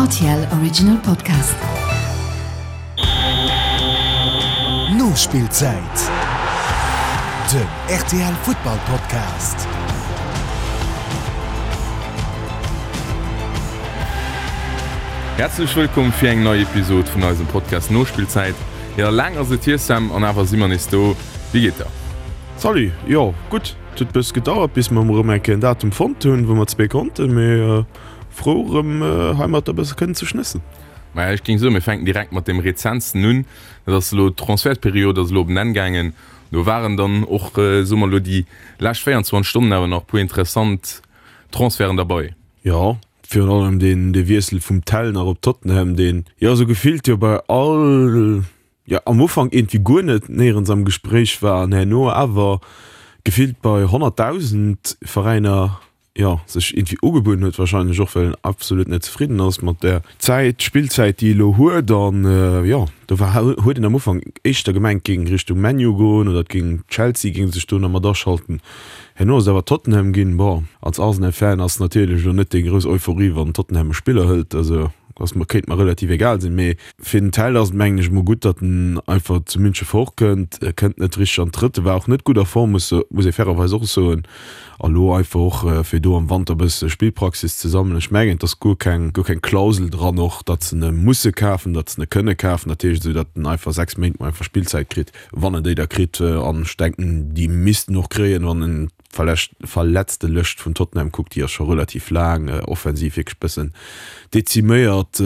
RTL Original Podcast. Nospillzäit, den rtl Futtball Podcast. Häerzlech wëllkomm fir eng nei Episod vun eisem Podcast Nospillzäit. Jo, laang ass et hier Sam, an awer si mer nees do. Wéi geet der? Salut, jo gutt, et huet bëss gedauert bis mer erëm eng Kéier en Datum fonnt hunn wou mer zwee konnten, mee frou erëm heimatter bësse kënnen ze schnëssen. Maja, ech géing soen, mir fänken direkt mat deem rezentsten un. Dat ass elo, d'Transfertperiod ass elo op en Enn gaangen. Do waren dann och, soe mer elo, déi lescht 24 Stonnen awer nach e puer interessant Transferten derbei. Jo, virun allem deen dee Wiessel vum Tell nach op Tottenham, deen jo esou gefillt jo bei all, jo am Ufank iergendwéi guer net néierens am Gespréich war an herno awer gefillt bei 100.000 Veräiner jo, sech iergendwéi ugebueden huet, wahrscheinlech och well en absolut net zefridden ass mat der Zäit, Spillzäit déi e lo huet an jo, do war huet een am Ufank éischter gemengt géing Richtung ManU goen oder et géing Chelsea géing sech do nach mat aschalten. Herno ass et awer Tottenham ginn. Bon, als Arsenal-Fan ass natierlech elo net déi grouss Euphorie wann Tottenham e Spiller hëlt, also ass mer kéint mer relativ egal sinn, mee fir den Tell ass et mengen ech mol gutt, datt en einfach zu Münche fortkënnt. E kënnt net richteg an d'Trëtt, e war och net gutt a Form, muss muss ee fairerweis och soen. A lo einfach och fir do am Wanter e bësse Spillpraxis ze sammelen. Ech mengen et ass guer keng guer keng Klausel dran och, datt se en musse kafen, datt se en kënne kafen. Dat heescht esou, datt en einfach 6 Méint mol einfach Spillzäit kritt, wann en déi da kritt. An ech denken déi misst en och kréien, wann en d'Verletzte Lëscht vun Tottenham kuckt, déi ass scho relativ laang, offensiv wierklech bëssen deziméiert,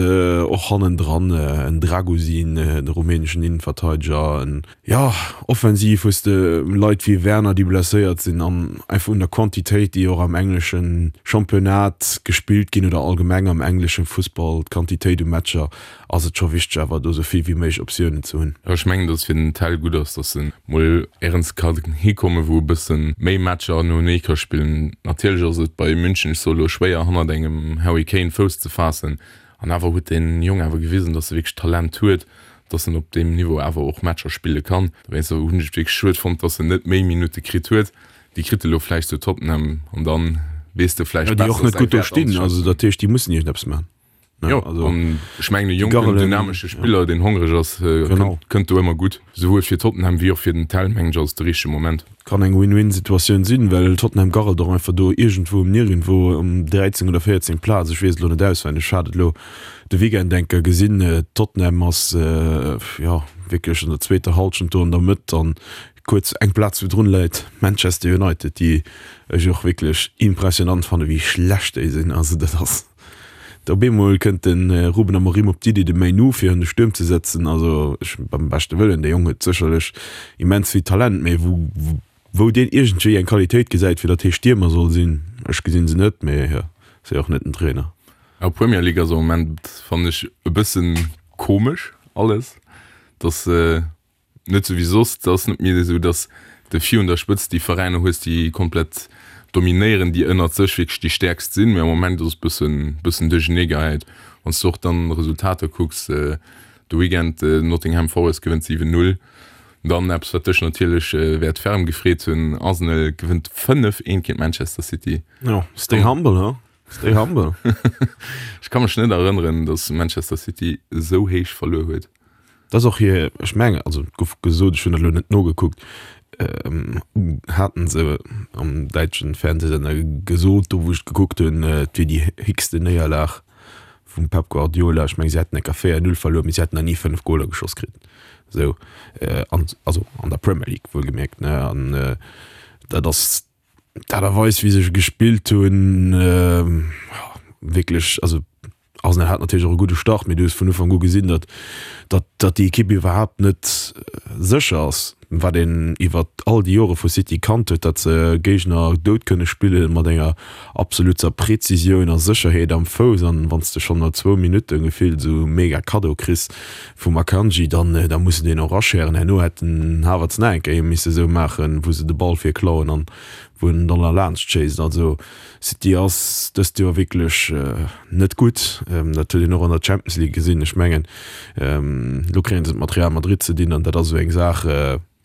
och hannendran en Dragusin, de rumäneschen Innenverteideger, en Jo, offensiv hues de Leit wéi Werner, déi blesséiert sinn an einfach un der Quantitéit, déi och am englesche Championnat gespillt ginn oder allgemeng am englesche Fussball, d'Quantitéit u Matcher, ass et scho wichteg awer do sou vill wéi méiglech Optiounen ze hunn. Ech mengen, datt et fir den Tel gutt ass, datt en mol éierens ka hikommen, wou e bësse méi Matcher noenee ka spillen. Natierlech ass et bei München, ech soe lo, schwéier hannert engem Harry Kane Fouss ze faassen. An awer huet deen Jong awer gewisen, datt e wierklech Talent huet, datt en op deem Niveau awer och Matcher spille kann. Dowéinster hunn ech et wierklech schued fonnt, datt en net méi Minutte kritt huet. Déi kritt e lo vläicht zu Tottenham an dann weess de vläicht Ja, déi och besser net säi gutt do Wäert stinn. Also anzeschätzen. dat heescht, déi mussen iergendeppes maachen. Ne? Jo, Also an ech mengen e déi jonken, Garrelen, dynamesche ja. Spiller, deen hongreg ass, Genau. kënnt, kënnt do ëmmer gutt. Souwuel fir Tottenham wéi och fir den Tell, mengen ech, ass et de richtege Moment. Kann eng Win-Win-Situatioun sinn, well Tottenham garrelt och einfach do iergendwou um Nirgendwou um 13 oder 14 Plaz, ech weess et elo net auswenneg, ech hat et elo de Weekend eng Kéier gesinn. Tottenham ass jo wierklech an der zweeter Hallschent do an der Mëtt an kuerz eng Plaz virdrun läit Manchester United, déi ech och wierklech impressionant fannen, wéi schlecht déi sinn. Also dat ass. Op eemol kënnt de Ruben Amorim op d'Iddi, de Mainoo fir an de Stuerm ze setzen. Also ech, beim beschte Wëllen, dee Jong huet sécherlech immens vill Talent, mee wou, wou deen iergendwéi eng Qualitéit gesäit, fir datt hie Stiermer soll sinn, ech gesinn se net, mee jo, ass jo och net den Trainer. Ja, Premier League ass am Moment, fannen ech, e bëssen komesch alles, dass Net sou wéi soss, et ass net méi esou, datt de virun der Spëtzt déi Veräiner hues, déi komplett dominéieren, déi ënnert sech wierklech déi stäerkst sinn, mee am Moment ass et bëssen, bëssen duerchernee geheit. Wann s de och dann Resultater kucks, de Weekend Nottingham Forest gewënnt 7, 0, dann eppes wat dech natierlech wäert ferm gefreet hunn, Arsenal gewënnt 5, 1 géint Manchester City. Jo, stay humble, huh? Stay humble. Ech ka mech net erënneren, datt Manchester City esou héich verluer huet. Dat ass och hir, ech mengen, also et gouf gesot, ech hunn dat elo net nogekuckt, haten se am däitschen Fernsehsender gesot, do wou ech et gekuckt hunn, et wier déi héchste Néierlag vum Pep Guardiola. Ech mengen, si hätten enker 4, 0 verluer, mee si hätten nach ni 5 Goler geschoss kritt. Esou, an also an der Premier League wuelgemierkt, ne? An dat ass D'Aart a Weis wéi se gespillt hunn, wierklech, also Arsenal hat natierlech och e gudde Start, mee du hues vun Ufank u gesinn, datt datt datt déi Ekipp iwwerhaapt net sécher ass, wat een iwwer all déi Jore vu City kannt huet, datt se Géigner dout kënne spille mat enger absoluter Präzisioun a Sécherheet am Fouss. An wann s de schonn no zwou Minutte gefillt esou e mega Kaddo kriss vum Akanji, dann da muss de deen och aschären. Herno hätt den Havertz nach eng Kéier misse sou maachen, wou se de Ball fir klauen an wou en dann erlaanscht schéisst. Also City ass dëst Joer wierklech net gutt. Dat huet een och an der Champions League gesinn. Ech mengen, elo kréie se et mat Real Madrid ze dinn an dat ass esou eng Saach.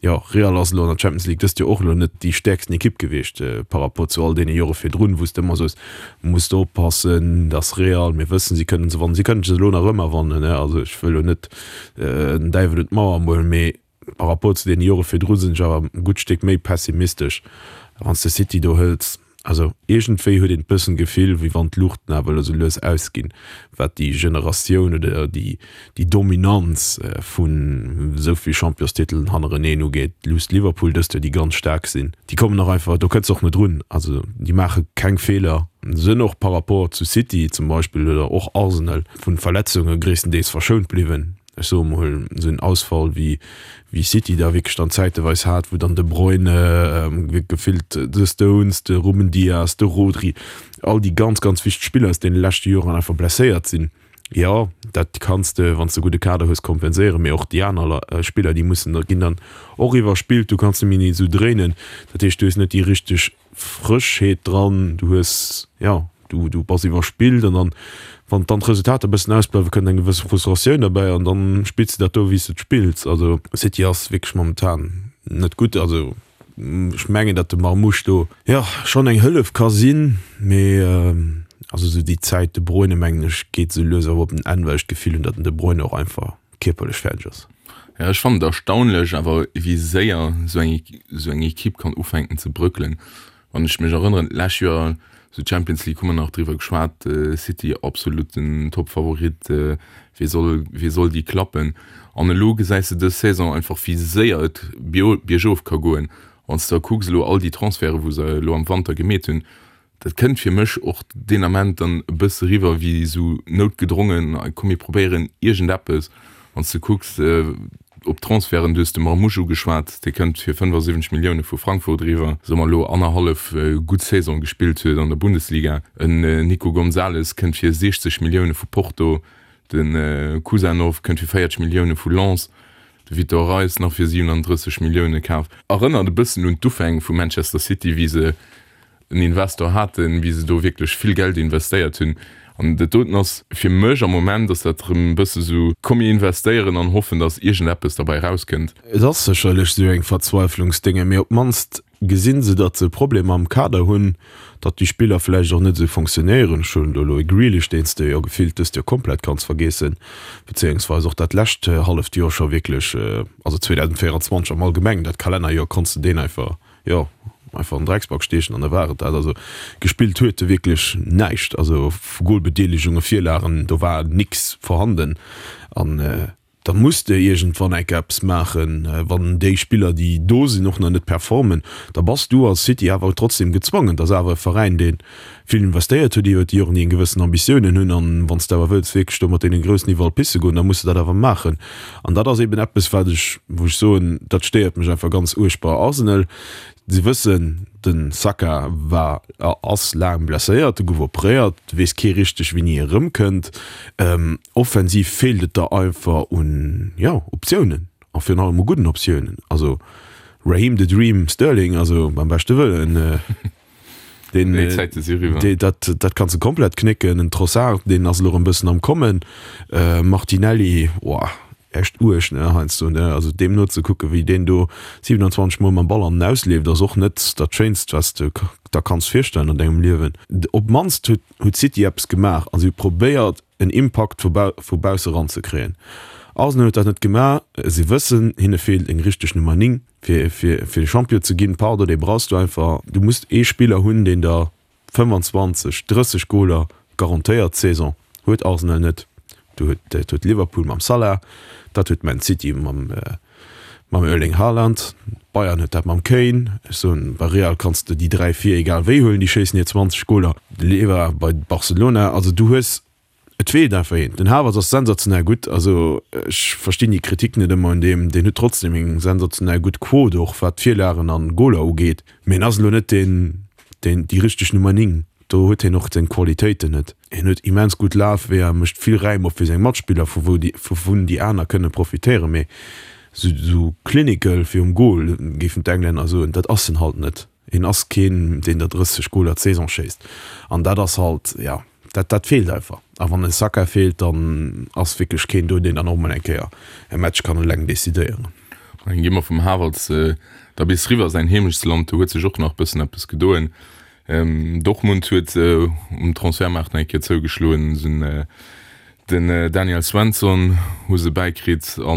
Jo, Real ass elo an der Champions League dëst Joer och elo net déi stäerksten Ekipp gewiescht par rapport zu all deene Jore virdrun, wou s de ëmmer soos, muss de oppassen, dass Real, mir wëssen, si kënnen se wannen, si kënnen se elo nach ëmmer wannen, ne, also ech wëll elo net den Däiwel un d'Mauer molen, mee par rapport zu deene Jore virdru sinn ech awer e gutt Stéck méi pessimistesch. Wann s de City do hëls, Also iergendwéi huet een bëssen d'Gefill, wéi wann d'Luuchten awer elo sou lues ausginn, wat déi Generatioun oder déi Dominanz vun esou vill Championstitelen hannereneen ugeet. Luusst Liverpool dëst Joer, déi ganz staark sinn, déi kommen och einfach, do kënns de och net drun. Also déi maache keng Feeler, sënn och par rapport zu City zum Beispill oder och Arsenal vun Verletzunge gréisstendeels verschount bliwwen. Ech soe mol, esou en Ausfall wéi wéi City da wierklech dann zäiteweis hat, wou dann de Bruyne, gefillt de Stones, de Ruben Dias, de Rodri, all déi ganz, ganz wichteg Spiller aus deene leschte Joren einfach blesséiert sinn. Jo, dat kanns de, wann s de e gudde Kader hues, kompenséieren, mee och déi aner Spiller, déi mussen da, ginn dann och iwwerspillt, du kanns net méi esou dréinen. Dat heescht, du hues net déi richteg Frëschheet dran, du hues, jo, du, du bass iwwerspillt an dann, wann dann d'Resultater e bëssen ausbleiwen, kënnt eng gewësse Frustratioun derbäi an dann spills de dat do, wéi s de et spills. Also City ass wierklech momentan net gutt. Also ech mengen, datt de Marmoush do, jo, schonn eng Hëllef ka sinn, mee also esou déi Zäit De Bruyne, mengen ech, geet esou lues awer op en Enn, well ech d'Gefill hunn, datt den De Bruyne och einfach kierperlech fäerdeg ass. Jo, ech fannen et erstaunlech awer wéi séier esou eng esou eng Equipe kann ufänken ze bröckelen. Wann ech mech erënneren, d'lescht Joer esou Champions League hu mer nach driwwer geschwat, City absoluten Topfavorit, wee soll wee soll déi klappen? An elo gesäis de dës Saison einfach wéi séier et biergof ka goen. Wann s de da kucks elo all déi Transferte wou se elo am Wanter gemeet hunn, Dat kënnt fir mech och deen Ament dann e bësse riwwer wéi esou noutgedrongen, komm mir probéieren iergendeppes. Wann s de kucks op d'Transferten, du hues de Marmoush ugeschwat, dee kënnt fir 75 Millioune vu Frankfurt eriwwer, soe mer elo annerhallef gutt Saison gespillt huet an der Bundesliga. En Nico Gonzalez kënnt fir 60 Millioune vu Porto, de Khusanov kënnt fir 40 Millioune vu Lens, de Vitor Reis nach fir 37 Millioune kaf. Erënnert e bëssen un d'Ufäng vu Manchester City, wéi se en Investor haten, wéi se do wierklech vill Geld investéiert hunn. An dat doten ass fir mech am Moment ass dat erëm e bësse sou, komm mir investéieren an hoffen, datt iergendeppes derbäi erauskënnt. Et ass sécherlech sou eng Verzweiflungsdénge, mee op d'mannst gesinn se, datt se Problemer am Kader hunn, datt déi Spiller vläicht och net esou fonctionnéieren. Ech hunn do elo e Grealish, deen s de jo gefillt dëst Joer komplett kanns vergeessen, bezéiungsweis och dat lescht halleft Joer scho wierklech, also 2024 am Allgemengen, dat Kalennerjoer konns de deen einfach jo, einfach an den Drecksback stiechen an da war et dat. Also gespillt huet e wierklech näischt, also vu Golbedeelegunge, Virlagen, do war nix vorhanden an da muss de iergendwann enke eppes maachen, wann déi Spiller déi do sinn och nach net performen, da bass du als City awer trotzdem gezwongen, et ass awer e Veräin dee vill investéiert huet iwwert déi Joren, déi eng gewëssen Ambitiounen hunn an wann s de awer wëlls wierklech do mat deene Groussen iwwerall pisse goen, da muss de dat awer maachen. An dat ass eben eppes, wat ech, wou ech soen, dat stéiert mech einfach ganz uerg bei Arsenal. Si wëssen, de Saka war a ass laang blesséiert, e gouf operéiert, et weess kee richteg wéini e erëmkënnt. Offensiv feelt et der einfach un, jo, Optiounen a virun allem u gudden Optiounen. Also Raheem the Dream Sterling, also beim beschte Wëllen, Deen, Déi Zäite si eriwwer. Dee, dat, dat kanns de komplett knécken. En Trossard, deen ass elo erëm bëssen am Kommen. Äh, Martinelli, oah, echt uerg, ne, heiansdo, ne. Also deem nozekucken, wéi deen do 27 Mol mam Ball an den Aus leeft, ass och net dat Schéinst, wat s de der kanns virstellen an dengem Liewen. Op d'mannst huet, huet City eppes gemaach a si hu probéiert, en Impakt vu bau, vu bausse ranzekréien. Arsenal huet dat net gemaach. Si wëssen, hinne feelt eng richteg Nummer 9. Fir fir Champion ze ginn, pardon, dee brauchs du einfach. Du muss ee Spiller hunn, deen der 25, 30 Goler garantéiert d'Saison. Huet Arsenal net. Du huet, dat huet Liverpool mam Salah, dat huet Man City mam mam Erling Haaland, Bayern huet dat mam Kane. Ech soen, bei Real kanns de déi 3, 4 egal wéi huelen, déi schéissen hir 20 Goler. Lewa bei Barcelona, also du hues Et feelt einfach een. Den Havertz ass sensationell gutt, also ech verstinn déi Kritik net ëmmer un deem. Deen huet trotzdem eng sensationell gutt Quot och wat Virlagen an Goler ugeet, mee en ass elo net deen, deen déi richteg Nummer 9. Do huet hien och seng Qualitéiten net. Hien huet immens gutt Lafweeër, mécht vill Räim op fir seng Matspiller, vu wou déi, vu vun déi aner kënne profitéieren, mee sou, sou clinical virum Goal, géifen d'Englänner soen, dat ass en halt net. Hien ass keen, deen der 30 Goler d'Saison schéisst. An dat ass halt, jo, dat, dat feelt einfach. A wann e Saka feelt, dann ass wierklech keen do, deen dann och mol eng Kéier e Match kann eleng decidéieren. Dann gi mer vum Havertz da bis riwwer a säin Heemechtsland. Do huet sech och nach bëssen eppes gedoen. Dortmund huet um Transfermaart nach eng Kéier zougeschloen. Se den Daniel Svensson hu se bäikritt a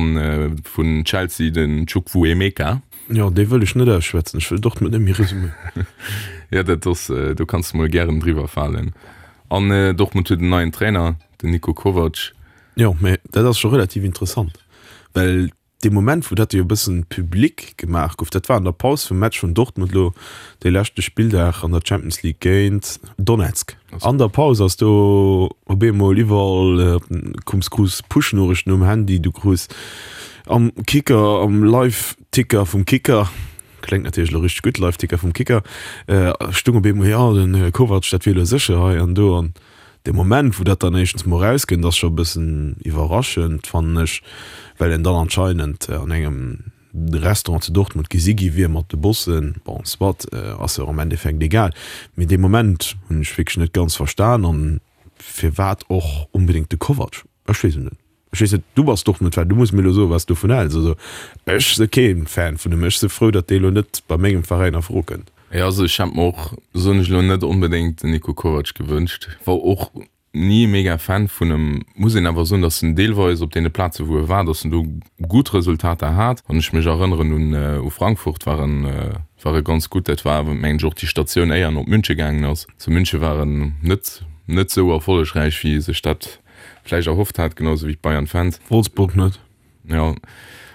vun Chelsea den Chukwuemeka. Jo, dee wëll ech net ausschwätzen. Ech wëll Dortmund net méi resuméieren. Jo, dat ass, do kanns de mol gären driwwer falen. An Dortmund huet en neien Trainer, den Niko Kovac. Jo, mä dat ass scho relativ interessant, well dee Moment, wou dat jo e bëssen public gemaach gouf, dat war an der Paus vum Match vun Dortmund elo dee leschte Spilldag an der Champions League géint Donetsk. An der Paus ass do op eemol iwwerall, koums, krus Push-Noriichten um Handy, du krus am Kicker, am Live-Ticker vum Kicker, kléngt natierlech elo richteg gutt, Live-Ticker vum Kicker, stung op eemol, jo, den Kovac, dat wier elo sécher hei an do. An De Moment, wou dat dann éischtens mol erauskënnt, ass scho e bëssen iwwerraschend, fannen ech, well en dann anscheinend an engem Restaurant zu Dortmund gesi gi wier mat de Bossen. Bon, soit, ass jo och am Endeffekt egal. Mee dee Moment hunn ech wierklech net ganz verstan. An firwat och onbedéngt de Kovac? Ech weess et net. Ech weess net, du bass Dortmund-Fan, du muss mir elo soen, wat s du dovun häls. Also ech si kee Fan vun em. Ech si frou, datt dee elo net bei mengem Veräin a Fro kënnt. Jo, also ech hätt mer och, soen ech elo, net onbedéngt den Niko Kovac gewënscht. War och ni e mega Fan vun em. Muss een awer soen, datt en deelweis op deene Plaze wou e war, datt en do gutt Resultater hat. Wann ech mech erënneren un u Frankfurt, war en war e ganz gutt. Dat war awer mengen ech och déi Statioun éier en op Münche gaangen ass. Zu Münche war en net net esou erfollegräich wéi sech dat vläicht erhofft hat, genau sou wéi d'Bayern-Fans. Wolfsburg net. Ja.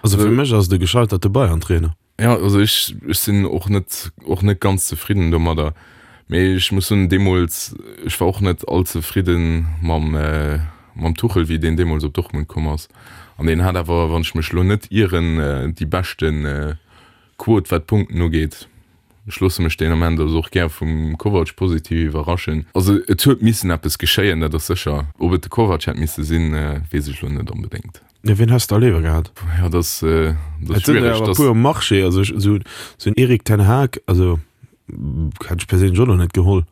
Also fir mech ass et e gescheiterte Bayern-Trainer. Ja, also ech, ech sinn och net, och net ganz zefridden domadder. Mee ech muss soen, deemools, ech war och net all zefridde mam, mam Tuchel, wéi deen deemools op Dortmund komm ass. An deen hat awer, wann ech mech elo net ieren, déi beschte Quot, wat d'Punkten ugeet. Ech loosse mech deen Ament also och gär vum Kovac positiv iwwerraschen. Also et huet missen eppes geschéien, dat ass sécher. Ob et de Kovac hätt misse sinn, weess ech elo net onbedéngt. Jo, wien häss de da léiwer gehat? Jo, dat ass, dat ass Et sinn der schwiereg. awer e puer um Marché. Also ech, esou, esou en Erik ten Hag, also hätt ech perséinlech och nach net geholl.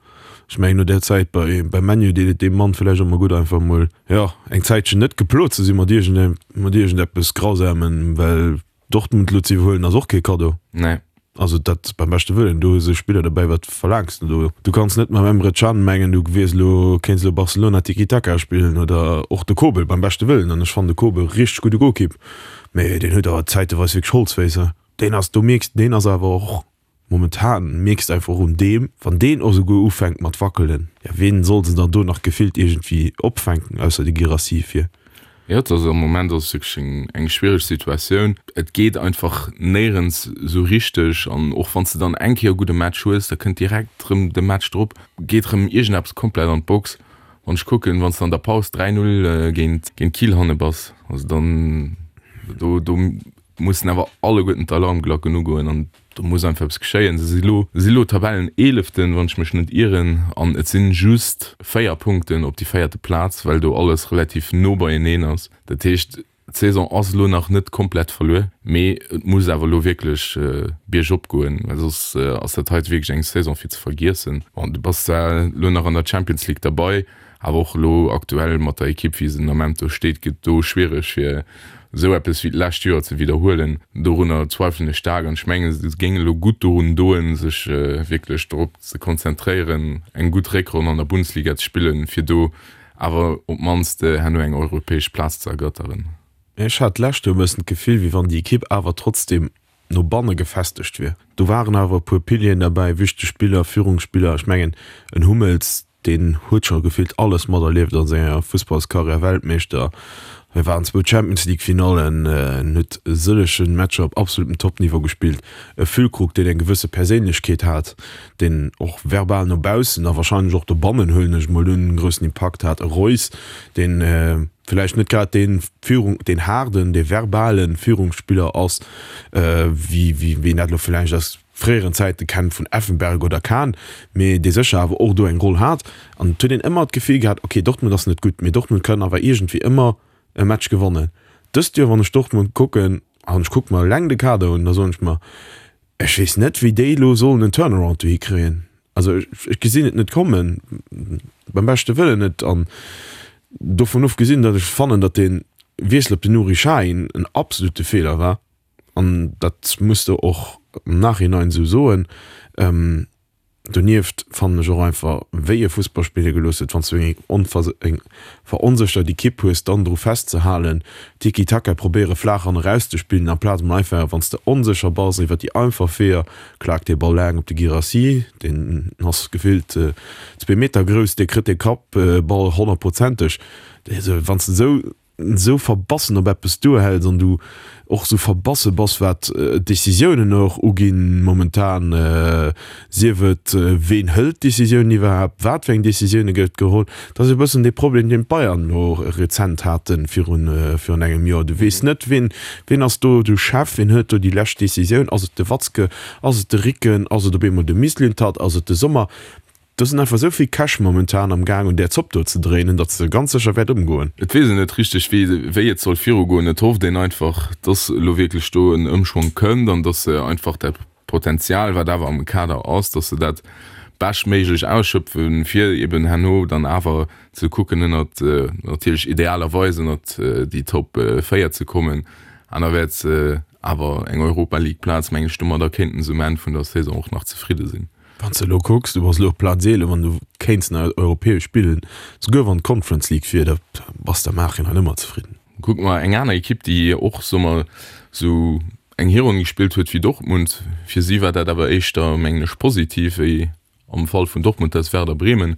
Ech mengen no där Zäit bei, bei ManU deet et deem Mann vläicht och mol gutt einfach emol, jo, eng Zäitchen net geplot ze si mat iergend, mat iergendeppes Grausamem, well Dortmund elo ze iwwerhuelen ass och kee Kaddo. Nee. Also dat beim beschte Wëllen, do hu se Spiller dobäi, wat verlaangs de do? Du kanns net mam Emre Can mengen, du wiers elo, kéints elo Barcelona Tiki-Taka spillen oder och de Kobel, beim beschte Wëllen, an ech fannen de Kobel richteg gudde Golkipp, mee deen huet awer zäiteweis wierklech Holzféiss. Deen ass, do mierks, deen ass awer och Momentan mierks de einfach och un deem, wann deen och esouguer ufänkt mat wackelen, ja ween soll se dann do nach gefillt iergendwéi opfänken, ausser de Guirassy fir. Jo, et ass am Moment ass et wierklech eng eng schwiereg Situatioun. Et geet einfach néierens esou richteg an och wann s de dann eng Kéier e gudde Match hues, da kënnt direkt erëm de Match drop, geet erëm iergendeppes komplett an d'Box. Wann ech kucken, wann s de an der Paus 3, 0 géint géint Kiel hanne bass, also dann do do mussen awer alleguerten d'Alarmglacken ugoen an do muss einfach eppes geschéien. Se si lo si lo Tabelleneeleften, wann ech mech net ieren, an et sinn just 4 Punkten op déi véierte Plaz, well do alles relativ no beieneen ass. Dat heescht, d'Saison ass elo nach net komplett verluer, mee et muss awer elo wierklech biergop goen, well soss ass dat heite wierklech eng Saison fir ze vergiessen. Bon, du bass zwar elo nach an der Champions League derbei, Awer och elo aktuell mat der Ekipp wéi se den Ament do steet, gëtt do schwiereg fir esou eppes wéi d'lescht Joer ze widderhuelen. Dorunner zweifelen ech staark an ech mengen se géing elo gutt dorun doen, sech wierklech drop ze konzentréieren eng gutt Réckronn an der Bundesliga ze spillen, fir do awer op d'mannst herno eng europäesch Plaz ze ergatteren. Ech hat d'lescht Joer e bëssen d'Gefill, wéi wann déi Ekipp awer trotzdem no banne gefestegt wier. Do waren awer e puer Pilieren derbäi, wichteg Spiller, Führungsspiller. Ech mengen en Hummels, Deen huet scho gefillt alles materlieft a senger Fussballskarriär, Weltmeeschter, hie war an zwou Champions League Finallen, en huet e sëllege Matcher op absolutem Topniveau gespillt. E Füllkrug, deen eng gewësse Perséinlechkeet hat, deen och verbal no baussen a warscheinlech och dobannen, huelen ech emol un, en groussen Impakt hat. E Reus, deen villäicht net grad dee Führung, deen haarden, dee verbale Führungsspiller ass, wéi wéi een dat elo villäicht aus fréieren Zäite kennt vun Effenberg oder Kahn, mee dee sécher awer och do eng Roll hat. An et huet een ëmmer d'Gefill gehat, ok, Dortmund ass net gutt, mee Dortmund kann awer iergendwéi ëmmer e Match gewannen. Dëst Joer, wann ech Dortmund kucken, an ech kucke mer eleng de Kader un, da soen ech mer, ech weess net, wéi déi elo sollen en Turnaround dohi kréien. Also ech gesinn et net kommen, beim beschte Wëllen net. An dovun ofgesinn, datt ech fannen, datt dee Wiessel op den Nuri Sahin en absolute Feeler war. An dat muss de och am Nachhinein esou soen. Donieft fannen ech och einfach, wéi e Fussball spille gelooss huet, wann s du eng veronséchert Ekipp hues, dann dru festzehalen, Tiki-Taka probéiere flaach an erauszespillen, amplaz emol einfach, wann s de onsécher bass, iwwer déi einfach Weeër, klaakt dee Ball laang op de Guirassy, deen ass gefillt zwee Meter grouss, dee kritt dee Kappball honnertprozenteg. Wann s de esou esou verbassen op eppes duerhäls an du och esou verbasse bass wat d'Décisiounen och uginn momentan, sief et ween hëlt d'Décisiounen iwwerhaapt, wat fir eng Décisioune gëtt geholl, dat ass e bëssen dee Problem deen d'Bayern elo rezent hate virun virun engem Joer. Du weess net ween ween ass do de Chef, ween hëlt do déi lescht Décisioun, ass et de Watzke, ass et de Ricken, ass et op eemol de Mislintat, ass et de Sommer? Do sinn einfach esou vill Käch momentan am Gaang un där Zopp do ze dréinen, datt se ganz sécher wäert ëmgoen. Et weess een net richteg wéi et soll virugoen. Et hofft een einfach, datt elo wierklech do en Ëmschwong kënnt an datt se einfach dat Potenzial, wat awer am Kader ass, datt se dat beschtméiglech ausschöpfen, fir eben herno dann awer ze kucken ënnert, natierlech idealerweis ënnert déi Top 4 ze kommen. Anerwäerts awer eng Europa League Plaz, mengen ech, domadder kéinten se um Enn vun der Saison och nach zefridde sinn. Wann s de elo kucks, du bass elo op Plaz 11 an du kéints nach europäesch spillen, souguer wann d'Conference League wier, da bass de am Nachhinein ëmmer zefridden. Kucke mer eng aner Ekipp, déi och, soe mer, esou eng Hironn gespillt huet wéi Dortmund. Fir si war dat awer éischter, mengen ech, positiv wéi am Fall vun Dortmund. Dat ass Werder Bremen,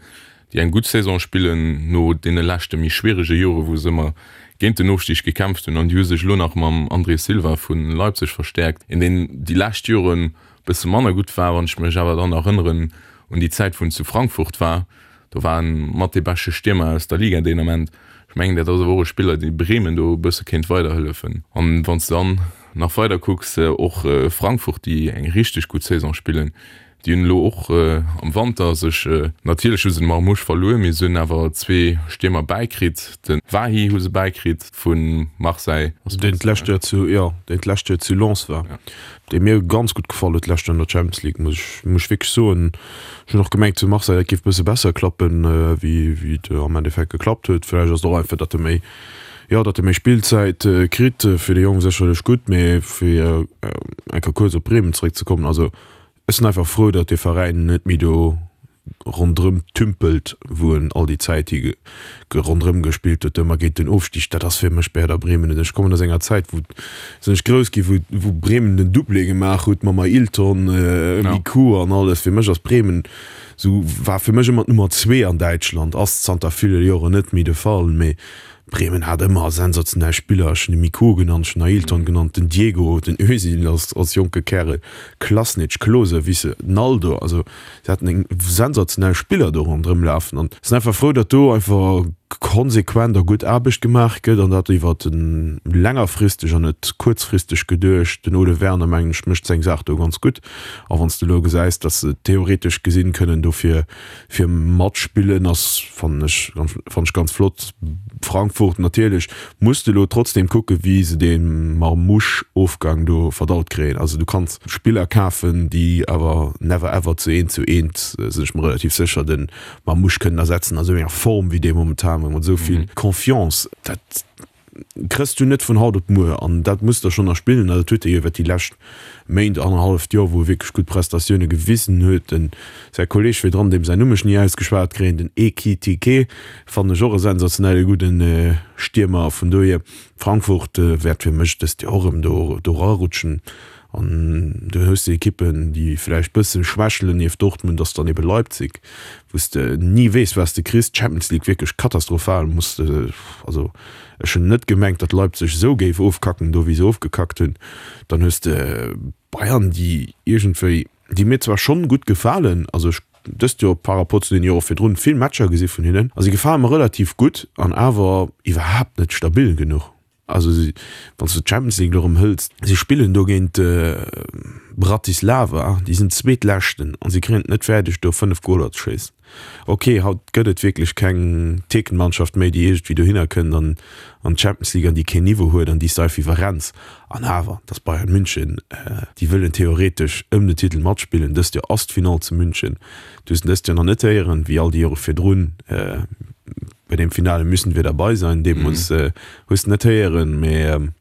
déi eng gutt Saison spillen no deene leschte méi schwierege Jore wou se ëmmer géint den Ofstig gekämpft hunn. An déi hu sech elo nach mam André Silva vu Leipzig verstäerkt, een deen déi lescht Joren bësse manner gutt war. Wann ech mech awer dann erënneren un déi Zäit wou en zu Frankfurt war, do war en mat dee beschte Stiermer aus der Liga deen Ament. Ech mengen dat ass awer och e Spiller dee Bremen do e bësse kéint weiderhëllefen. An wann s de dann nach weider kucks, och Frankfurt déi eng richteg gutt Saison spillen, Déi hunn elo och am Wanter sech, natierlech hu se de Marmoush verluer, mee se hunn awer zwee Stiermer bäikritt. De Wahi hu se bäikritt vu Marseille. Deen d'lescht Joer zu, jo, deen d'lescht Joer zu Lens war, dee mir ganz gutt gefall huet d'lescht Joer an der Champions League, muss ech, muss ech wierklech soen. Ech hunn och gemengt zu Marseille, dat géif e bësse besser klappen, wéi, wéi et am Endeffekt geklappt huet. Vläicht ass et och einfach, datt e méi, jo, datt e méi Spillzäit kritt. Fir de Jong sécherlech gutt, mee fir eng Kéier kuerz op Bremen zeréckzekommen, also Ech sinn einfach frou, datt dee Veräin net méi do ronderëm tümpelt, wou en all déi Zäit hi ronderëm gespillt huet, ëmmer géint den Ofstig. Dat ass fir mech Werder Bremen net. Ech kommen aus enger Zäit, wou sinn ech grouss ginn, wou wou Bremen den Doublé gemaach huet mam Ailton, Miku an alles. Fir mech ass Bremen esou, war fir mech ëmmer d'Nummer zwee an Däitschland, ass zanter ville Joren net méi de Fall. Mee Bremen hat ëmmer sensationell Spiller, ech hunn de Miku genannt, ech hunn Ailton genannt, den Diego, den Özil als als jonke Kärel, Klasnic, Klose, Wisse, Naldo, also se haten eng sensationell Spiller do ronderëm lafen an sinn einfach frou, datt do einfach konsequent a gutt Aarbecht gemaach gëtt an dat iwwer längerfristeg an net kuerzfristeg geduecht. Den Ole Werner mengen ech mécht seng Saach do ganz gutt a wann s de elo gesäis, datt se theoretesch gesinn kënnen dofir fir matspillen ass fannen ech fannen ech ganz flott. Frankfurt natierlech muss de lo trotzdem kucke wéi se dee Marmoush Ofgang do verdaut kréien. Also du kanns Spiller kafen déi awer never ever zu eent zu eent, sinn ech mer relativ sécher, de Marmoush kënnen ersetzen a sou enger Form wéi dee momentan mat esou vill Confiance. Dat Kriss du net vun haut op muer an dat muss der schonn erspillen an dat huet e jo iwwer déi lescht Méint, annerhalleft Joer, wou e wierklech gutt Prestatioune gewisen huet. Den säi Kolleeg virdran, deem säin Numm ech ni ausgeschwat kréien, den Ekitike, fannen ech och e sensationelle gudden Stiermer. Vun dohier, Frankfurt wäert fir mech dëst Joer och erëm do do erarutschen. An du hues déi Ekippen, déi vläicht bësse schwächelen, nieft Dortmund ass dann ebe Leipzig, wou s de ni weess, wat s de kriss. D'Champions League wierklech katastrophal, muss de, also ech hunn net gemengt, datt Leipzig esou géif ofkacken do, wéi se ofgekackt hunn. Dann hues de Bayern, déi iergendwéi, déi mir zwar schonn gutt gefalen, also ech dëst Joer par rapport zu den Jore virdrun vill Matcher gesi vun hinnen a si gefale mer relativ gutt an awer iwwerhaapt net stabil genuch. Also wann s de d'Champions League elo erëm hëls, si spillen do géint Bratislava, déi sinn Zweetleschten a si kréien et net fäerdeg do 5 Goler ze schéissen. Ok, haut gëtt et wierklech keng Tierkenmannschaft méi, déi iergendwéi dohinner kënnt an an d'Champions League an déi keen Niveau huet an déi s de einfach iwwerrenns. An awer, et ass Bayern München, déi wëllen theoretesch ëm den Titel matspillen. Dëst Joer ass d'Finall zu München. Du hues en dëst Joer nach net héieren, wéi all déi Jore virdrun. Bei dem Finale müssen wir dabei sein, deemools hues de net héieren, mee.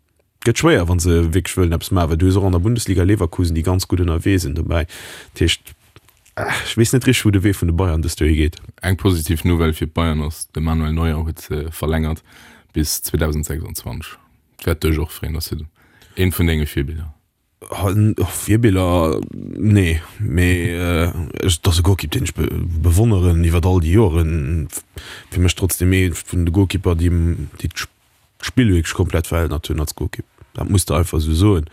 Gëtt schwéier, wa se wierklech wëllen eppes maachen, well du hues och an der Bundesliga Leverkusen, déi ganz gutt ënnerwee sinn dobäi. Dat heescht, ech weess net richteg, wou de Wee vun de Bayern dëst Joer higeet. Eng positiv Nouvelle fir d'Bayern ass, de Manuel Neuer huet verlängert bis 2026. Dat wäert dech och freeën, ass jo eent vun denge Virbiller. Virbiller, nee, mee et ass e Golkipp, deen ech bewonneren iwwer all déi Joren. Fir mech trotzdeem ee vun de Golkipper, déi d'Spill wierklech komplett verännert hunn als Golkipp. Dat muss de einfach esou soen.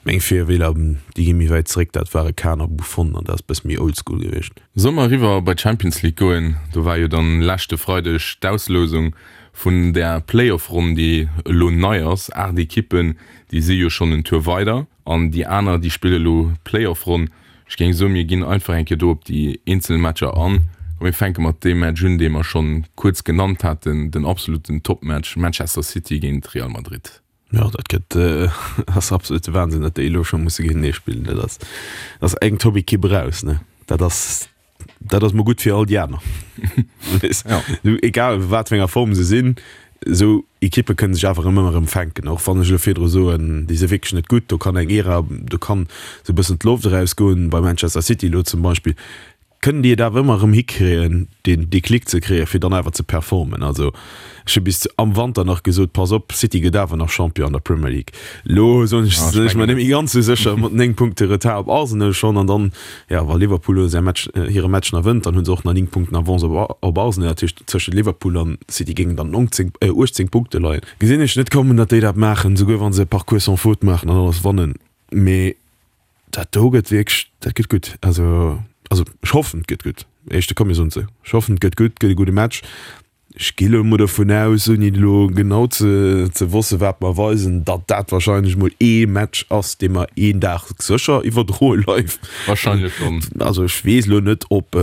Meng Virwiller, déi gi méi wäit zeréck, dat ware Kahn a Buffon an dat ass e bësse méi oldschool gewiescht. Solle mer eriwwer bei d'Champions League goen? Do war jo dann leschte Freideg d'Auslousung vun der Playoff-Ronn, déi elo nei ass. 8 Ekippen, déi si jo schonn en Tour weider an déi aner, déi spille elo d'Playoff-Ronn. Ech géing soen, mir ginn einfach eng Kéier do op déi eenzel Matcher an. A mir fänke mat deem Match un, dee mer schonn kuerz genannt haten, den absoluten Topmatch, Manchester City géint Real Madrid. Jo, dat gëtt, ass absolute Wahnsinn, datt déi elo scho musse géintenee spillen. Dat ass, ass eng Top-Ekipp eraus, ne? Dat ass, dat ass mol gutt fir all déi aner. Ja. Egal wat fir enger Form se sinn, esou Ekippe kënne sech awer ëmmer erëm fänken. Och wann ech elo virdru soen, déi si wierklech net gutt, do kann eng Ära, do kann esou e bëssen d'Loft erausgoen, bei Manchester City elo zum Beispill, kënnen déi et awer ëmmer erëm hikréien, deen Déclic ze kréien, fir dann awer ze performen. Also ech hu bis am Wanter nach gesot, pass op, City gëtt awer nach Champion an der Premier League. Elo soen ech, sinn ech mer net méi ganz esou sécher, mat 9 Punkte Retard op Arsenal schonn an dann, jo, wa Liverpool elo säi Match, hire Match nach wënnt, dann hu se och nach 9 Punkten Avance op op Arsenal. Dat heescht, tëschent Liverpool an City géingen dann 19, 18 Punkte leien. Gesinn ech net kommen, datt déi dat maachen, souguer wa se e Parcours sans faute maachen an alles wannen. Mee dat do gëtt wierklech, dat gëtt gutt. Also, also ech hoffen, et gëtt gutt. Éischte komm mir soen se. Ech hoffen, et gëtt gutt, gëtt e gudde Match. Ech gi lo mol dovun aus, ouni elo genau ze ze wossen, wat mer weisen, datt dat wahrscheinlech mol ee Match ass, dee mer een Dag sécher iwwerdroe live. Wahrscheinlech schonn. Also ech weess elo net, ob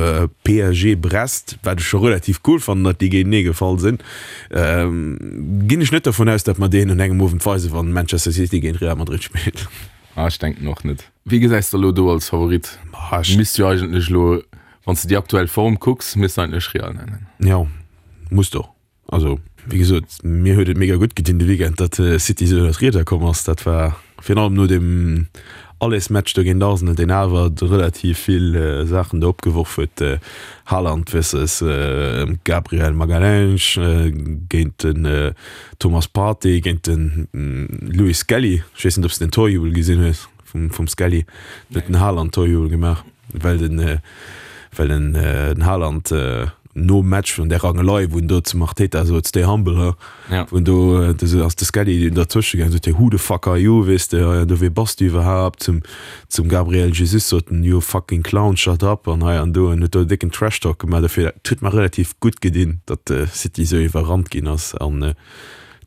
PSG Brest, wat ech scho relativ cool fannen, datt déi géintenee gefall sinn, ginn ech net dovun aus, datt mer deen un engem Owend weisen, wann Manchester City géint Real Madrid spillt. Ah, ech denken och net. Wie gesäis de elo do als Favorit? Misst jo eigentlech elo Wann s de déi aktuell Form kucks, misst de eigentlech Real nennen. Jo, muss de och. Also, wéi gesot, mir huet et mega gutt gedinn de Weekend, datt City esou ënnert d'Rieder komm ass. Dat war virun allem no deem Allesmatch do géint Arsenal, deen awer relativ vill Saachen do opgeworf huet, Haaland versus Gabriel Magalhães, géint den Thomas Partey, géint de Lewis Skelly. Ech weess net, ob s de den Torjubel gesinn hues. Vum, vum Skelly huet den Haaland Torjubel gemaach, well den, well den, den Haaland nom Match vun där Rangelei, wou en do zum Arteta sot, stay humble, huh? Ja. Wou en do, do ass de Skelly dertwësche gaangen, sot hie, who the fuck are you, weess de, hei an do, wee bass du iwwerhaapt? Zum, zum Gabriel Jesus sot en, you fucking clown, shut up, an hei an do, en huet do e décken Trash-Talk gemaach. Dofir, dat huet mer relativ gutt gedinn, datt City esou iwwerrannt ginn ass an,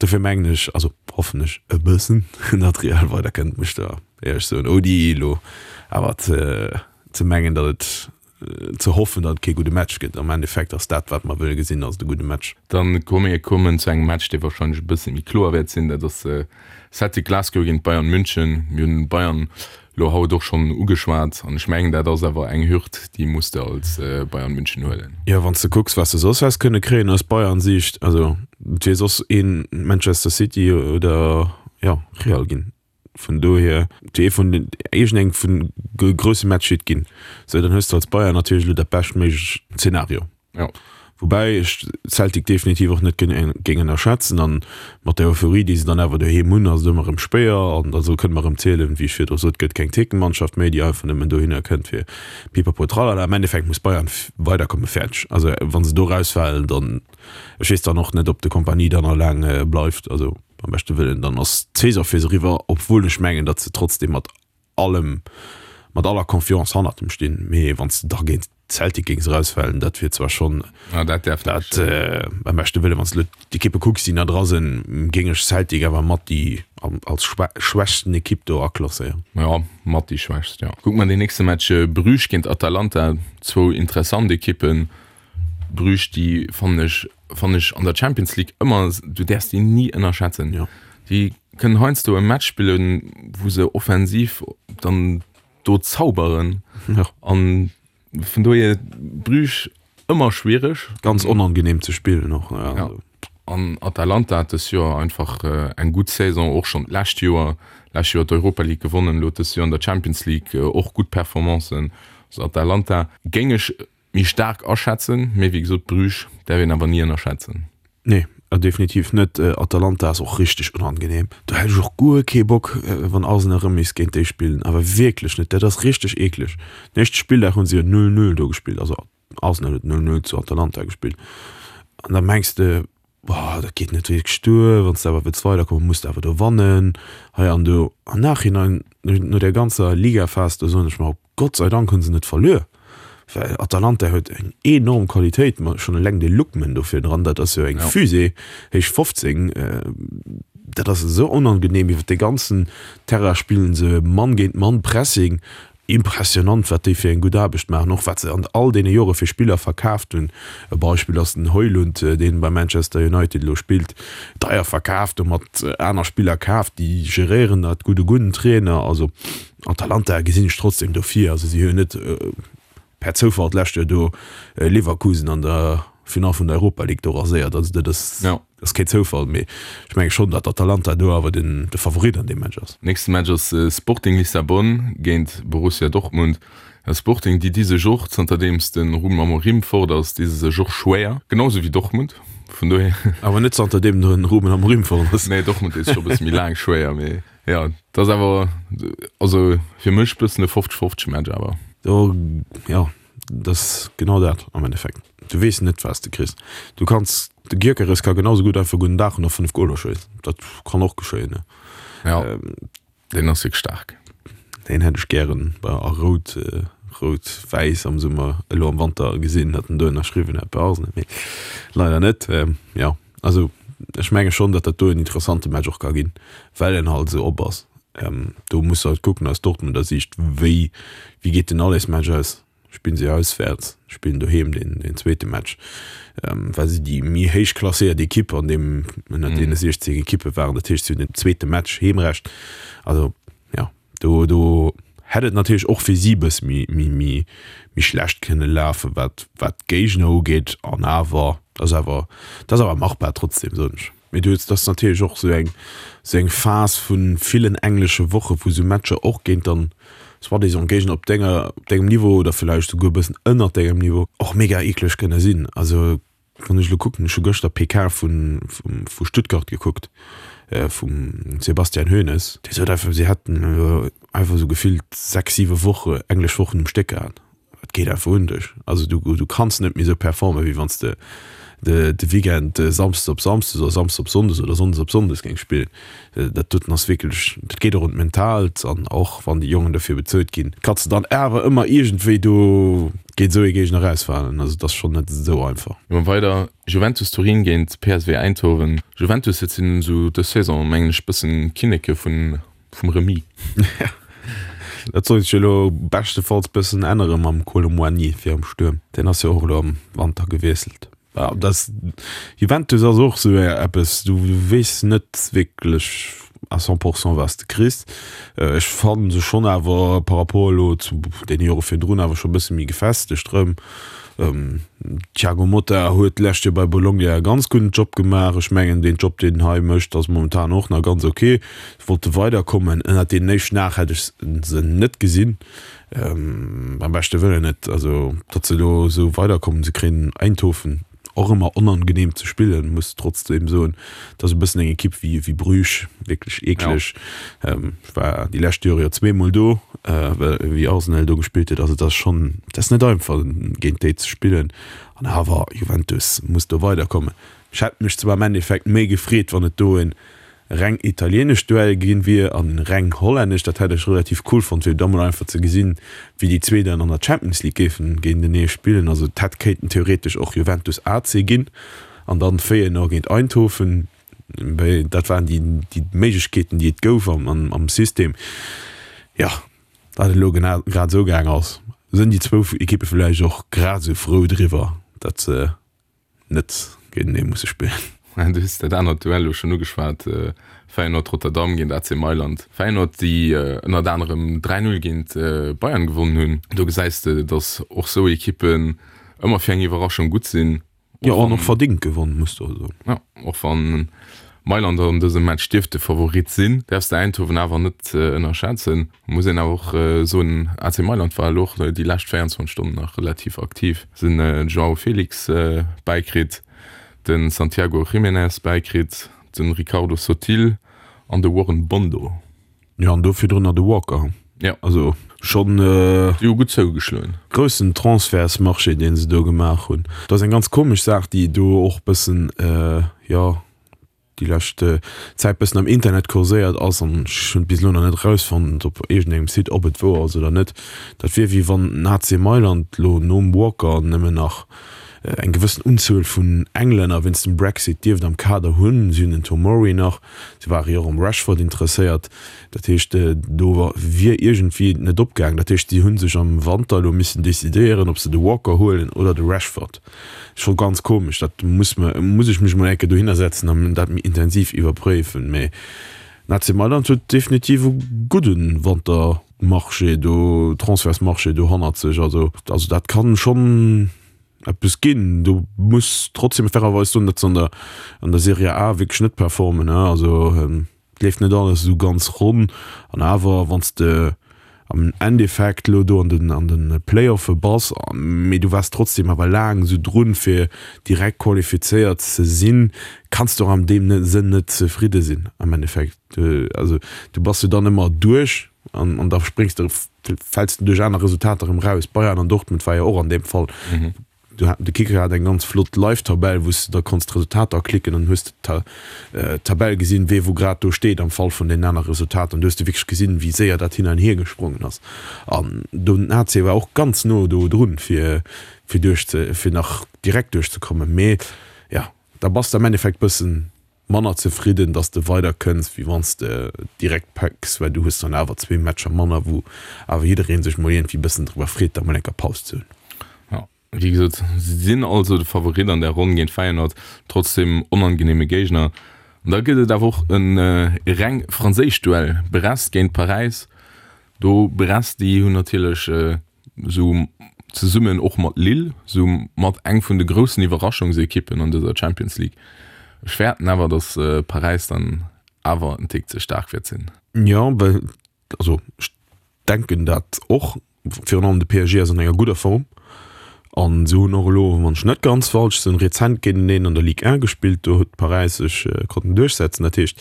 Dofir mengen ech, also hoffen ech e bëssen, datt Real weiderkënnt, muss ech der éierlech soen, ouni elo awer ze mengen, datt et, ze hoffen, datt et kee gudde Match gëtt. Am Endeffekt ass dat, wat mer wëlle gesinn, ass et e gudde Match. Dann komme mir kommen zu engem Match, dee warscheinlech e bësse méi kloer wäert sinn. Dat ass Celtic Glasgow géint Bayern München. Mir hunn Bayern Lo haut och schonn ugeschwat, an ech mengen dat ass awer eng Hürd, déi muss de als Bayern München huelen. Jo, wann s de kucks, wat se soss häss kënne kréien aus Bayern-Siicht, also et wier soss ee Manchester City oder jo Real ginn. Vun dohier, et wier ee vun den, iergendeng vun de grousse Match hitt ginn. Sou, dann hues de als Bayern natierlech elo dat beschtméiglecht Zeenario. Ja. Woubäi ech Celtic definitiv och net géing ënnerschätzen an mat der Euphorie, déi se dann awer doheem hunn, ass et ëmmer erëm schwéier an da kënne mer erëm zielen, wéi ech virdru sot, gëtt keng Thekenmannschaft méi, déi einfach nëmmen dohinner kënnt fir Pipapo tralala. Am Endeffekt muss Bayern weiderkommen, fäerdeg. Also wa se do erausfalen, dann, ech weess dann och net, ob de Kompany dann nach laang bleift, also beim beschte Wëllen, dann ass d'Saison fir se eriwwer, obwuel ech mengen, datt se trotzdeem mat allem, mat aller Confiance hannert em stinn, mee wann s de da géint Celtic géings erausfalen, dat wier zwar schonn, Ah, dat däerf net dat beim beschte Wëllen, wann s de elo d'Ekippe kucks, déi nach dra sinn, géing ech Celtic awer mat déi als schwächsten Ekipp do aklasséieren. Jo, mat déi schwächst, jo. Kucke mer deen nächste Match, Bruges géint Atalanta, zwou interessant Ekippen. Bruges, déi fannen ech, fannen ech an der Champions League ëmmer, du däerfs déi ni ënnerschätzen. Jo. Déi kënnen heiansdo e Match spillen, wou se offensiv dann do zauberen. Jo. An vun dohier Bruges ëmmer schwiereg. Ganz onangenehm ze spillen och. Ja. An Atalanta hat dës Joer einfach eng gutt Saison, och schonn d'lescht Joer. Lescht Joer d'Europa League gewonnen, elo dës Joer an der Champions League och gutt Performancen. Also Atalanta géing ech méi staark aschätzen, mee wéi gesot Bruges däerf een awer ni ënnerschätzen. Nee, definitiv net. Atalanta ass och richteg unangenehm. Do hätt ech och guer kee Bock wann Arsenal erëm misst géint déi spillen, awer wierklech net. Dat ass richteg eekleg. Den éischte Spilldag hunn se jo 0, 0 do gespillt, also Arsenal huet 0, 0 zu Atalanta gespillt an da mengs de, boah dat geet net wierklech duer, wann s de awer wëlls weiderkommen, muss de awer do wannen hei an do. Am Nachhinein, no där ganzer Ligaphas do, soen ech mer, Gott sei Dank hunn se net verluer, well Atalanta huet eng enorm Qualitéit, ma schonn eleng de Lookman do virdran, dat ass jo eng Fusée, héich 15, dat ass esou onangenehm, iwwer de ganzen Terrain spillen se Mann géint Mann Pressing, impressionant wat déi fir eng gutt Aarbecht maachen, och wat se an all deene Jore fir Spiller verkaaft hunn. E Beispill ass den Højlund, deen bei Manchester United elo spillt, deier verkaaft, domat aner Spiller kaaft, déi geréieren dat gutt, e gudden Trainer, also. Atalanta gesinn ech trotzdem do vir. Also si hunn net per Zoufall d'lescht Joer do Leverkusen an der Final vun der Europa League do raséiert. Also dat ass, ja. ass kee Zoufall, mee ech menge schonn, datt Atalanta do awer den de Favorit an deem Match ass. Nächste Match ass Sporting Lissabon géint Borussia Dortmund. Sporting, déi di sech och, zanterdeems de Ruben Amorim fort ass, di se sech och schwéier, genau sou wéi Dortmund, vun dohier. Awer net zanterdeem de Ruben Amorim fort ass. Nee, Dortmund deet sech scho e bësse méi laang schwéier, mee. Ja, dat ass awer also fir mech bëssen e 50 50 Match awer. Do ja, dat ass genau dat am Endeffekt. Du weess net wat s de kriss. Du kanns, de Gyökeres ka genau sou gutt einfach gudden Dag hunn a 5 Goler schéissen. Dat kann och geschéien, ne? Ja, deen ass wierklech staark. Deen hätt ech gären bei a rout, rout-wäiss am Summer, elo am Wanter gesinn, datt en do ënnerschriwwen hätt bei Arsenal, mee leider net. Jo. Also ech menge schonn, datt dat do en interessante Match och ka ginn, well en halt esou op ass. Do muss de halt kucken aus Dortmunder Siicht, wéi wéi geet den Allesmatch aus? Spillen si auswäerts, spillen doheem deen deen zweete Match, well si déi méi héich klasséiert Ekipp an deem ënnert deene 16 Ekippe waren. Dat heescht, si hunn den zweete Match Heemrecht. Also jo. Do, do hätt et natierlech och fir si e bësse méi, méi, méi, méi schlecht kënne lafen, wat, wat d'Géigner ugeet. An awer, dat ass awer, dat ass awer machbar trotzdem, soen ech. Mee du hues, dat ass natierlech och esou eng, esou eng Phas vu villen englesche Woche wou esou Matcher och géint dann soi-disant Géigner op denger, op dengem Niveau oder villäicht souguer e bëssen ënnert dengem Niveau och mega eekleg kënne sinn. Also Wann ech elo kucken, ech hu gëschter PK vun, vu Stuttgart gekuckt, vum Sebastian Hoeneß, dee sot einfach, si hätten elo einfach esou gefillt 6, 7 Woche, englesch Wochen um Stéck gehat. Dat geet einfach un dech. Also du, du kanns net méi esou performen, wéi wann s de de, de Weekend Samsdes op Samsdes oder Samsdes op Sonndes oder Sonndes op Sonndes géings spillen. Dat doten ass wierklech, dat geet och un d'Mentaalt an och wann déi Jongen dofir bezuelt ginn, kanns de dann awer ëmmer iergendwéi do géint esou ee Géigner erausfalen. Also et ass schonn net esou einfach. Goe mer weider, Juventus Turin géint PSV Eindhoven. Juventus, dat sinn esou dës Saison mengen ech bëssen d'Kinneke vun vum Remis. Dat sollt sech elo beschtefalls bëssen ännere mam Kolo Muani fir am Stuerm. Deen ass jo och elo am Wanter gewiesselt. Ja, das Juventus ass och sou eppes, du weess net wierklech à 100 Pourcent wat s de kriss. Ech fannen se schonn awer par rapport elo zu deene Jore virdrun awer scho bësse méi gefestegt rëm. Thiago Motta huet d'lescht Joer bei Bologna e ganz gudden Job gemaach. Ech mengen deen Job deen en hei mécht ass momentan och nach ganz ok. Se wollte weiderkommen, ënnert deenen éischten 8 hätt ech se net gesinn. Beim beschte Wëllen net. Also, datt se elo esou weiderkommen, se kréien Eindhoven, och ëmmer onangenehm ze spillen, muss trotzdeem soen. Dat ass e bëssen eng Ekipp wéi wéi Bruges, wierklech eekleg. Ech war déi lescht Jore jo zweemol do, well wéi Arsenal do gespillt huet. Also dat ass schonn, dat ass net einfach géint déi ze spillen. An awer, Juventus muss do weiderkommen. Ech hätt mech zwar am Endeffekt méi gefreet, wann et do en reng italieenescht Duell ginn wier an reng hollännesch, dat hätt ech relativ cool fonnt fir da mol einfach ze gesinn wéi déi zwee dann an der Champions League géifen géintenee spillen. Also et hätt kéinten theoretesch och Juventus AC ginn an dann Feyenoord géint Eindhoven, mee dat waren déi déi Méiglechkeeten déi et gouf am am System. Jo, dat et elo genau grad esou gaang ass, sënn déi zwou Ekippe villäicht och grad esou frou driwwer, dat se net géintenee musse spillen. Du hues dat anert Duell elo schonn ugeschwat, Feyenoord Rotterdam géint AC Mailand. Feyenoord, déi ënnert anerem 3, 0 géint Bayern gewonnen hunn. Do gesäis de, datt och sou Ekippen ëmmer fir eng Iwwerraschung gutt sinn. Jo, an och verdingt gewonn, muss de och soen. Jo, och wann Mailand an dësem Match dierft de Favorit sinn, däerfs de Eindhoven awer net ënnerschätzen. Muss een awer och soen, AC Mailand war elo och déi lescht 24 Stonnen nach relativ aktiv. Se hunn de Joao Felix bäikritt, de Santiago Gimenez bäikritt, de Ricardo Sottil an de Warren Bondo. Jo, an do virdrunner de Walker. Jo. Also schonn. Déi hu gutt zougeschloen. Groussen Transfertsmarché, dee se do gemaach hunn. Dat ass eng ganz komesch Saach, déi do och bëssen, jo, déi lescht Zäit bëssen am Internet kurséiert ass an ech hunn et bis elo nach net erausfonnt op iergendengem Site, ob et wouer ass oder net. Dat wier wéi wann den AC Mailand elo nom Walker nëmmen nach eng gewëssen Unzuel vun Englänner wéinst dem Brexit dierft am Kader hunn. Si hunn den Tomori nach. Si ware jo och um Rashford interesséiert. Dat heescht, do wier iergendwéi et net opgaangen. Dat heescht, si hu sech am Wanter elo missen decidéieren, ob se de Walker huelen oder de Rashford. Scho ganz komesch. Dat muss mer, muss ech mech mol eng Kéier dohinner setzen an dat méi intensiv iwwerpréifen. Mee den AC Mailand huet definitiv e gudde Wantermarché do, Transfertsmarché do hannert sech. Also, also dat kann schonn. eppes ginn. Do muss trotzdem fairerweis soen, datt se an der an der Serie A wierklech net performen, ne? Also et leeft net alles esou ganz ronn an awer wann s de am Endeffekt elo do an den an de Play-offe bass, mee du waars trotzdem awer laang esou drun fir direkt qualifizéiert ze sinn, kanns de och an deem Sënn net zefridde sinn am Endeffekt. Also du bass jo dann ëmmer duerch an an da spréngs de fäls de duerch aner Resultater erëm raus. Bayern an Dortmund war jo och an deem Fall. Du hat, de Kicker hat eng ganz flott Live-Tabell, wou s de da konns d'Resultater klicken an hues de d'Tabell gesinn, wee wou grad do steet am Fall vun deenen aner Resultater. An du hues de wierklech gesinn, wéi séier dat hin an hier gesprongen ass. An do den AC war och ganz no do drun, fir fir duerch ze fir nach direkt duerchzekommen. Mee jo, da bass de am Endeffekt bëssen manner zefridden, dass de weider kënns, wéi wann s de direkt packs, well du hues dann awer zwee Matcher manner, wou awer jidderee sech mol iergendwéi bëssen driwwer freet, da mol eng Kéier Paus ze hunn. Jo, wéi gesot, si sinn also de Favorit an där Ronn géint Feyenoord, trotzdem onangeneeme Géigner. An da gëtt et awer och e reng franséischt Duell, Brest géint Paräis. Do Brest, déi hunn natierlech sou zesummen och mat Lille, sou mat eng vun de groussen Iwwerraschungsekippen an dëser Champions League. Ech fäerten awer, datt Paräis dann awer en Tick ze staark wäert sinn. Jo, well, also ech denken dat och. Virun allem de PSG ass an enger gudder Form an se hunn och elo, wann ech net ganz falsch sinn, rezent géinteneen an der Ligue 1 gespillt. Do huet Paräis sech konnten duerchsetzen. Dat heescht,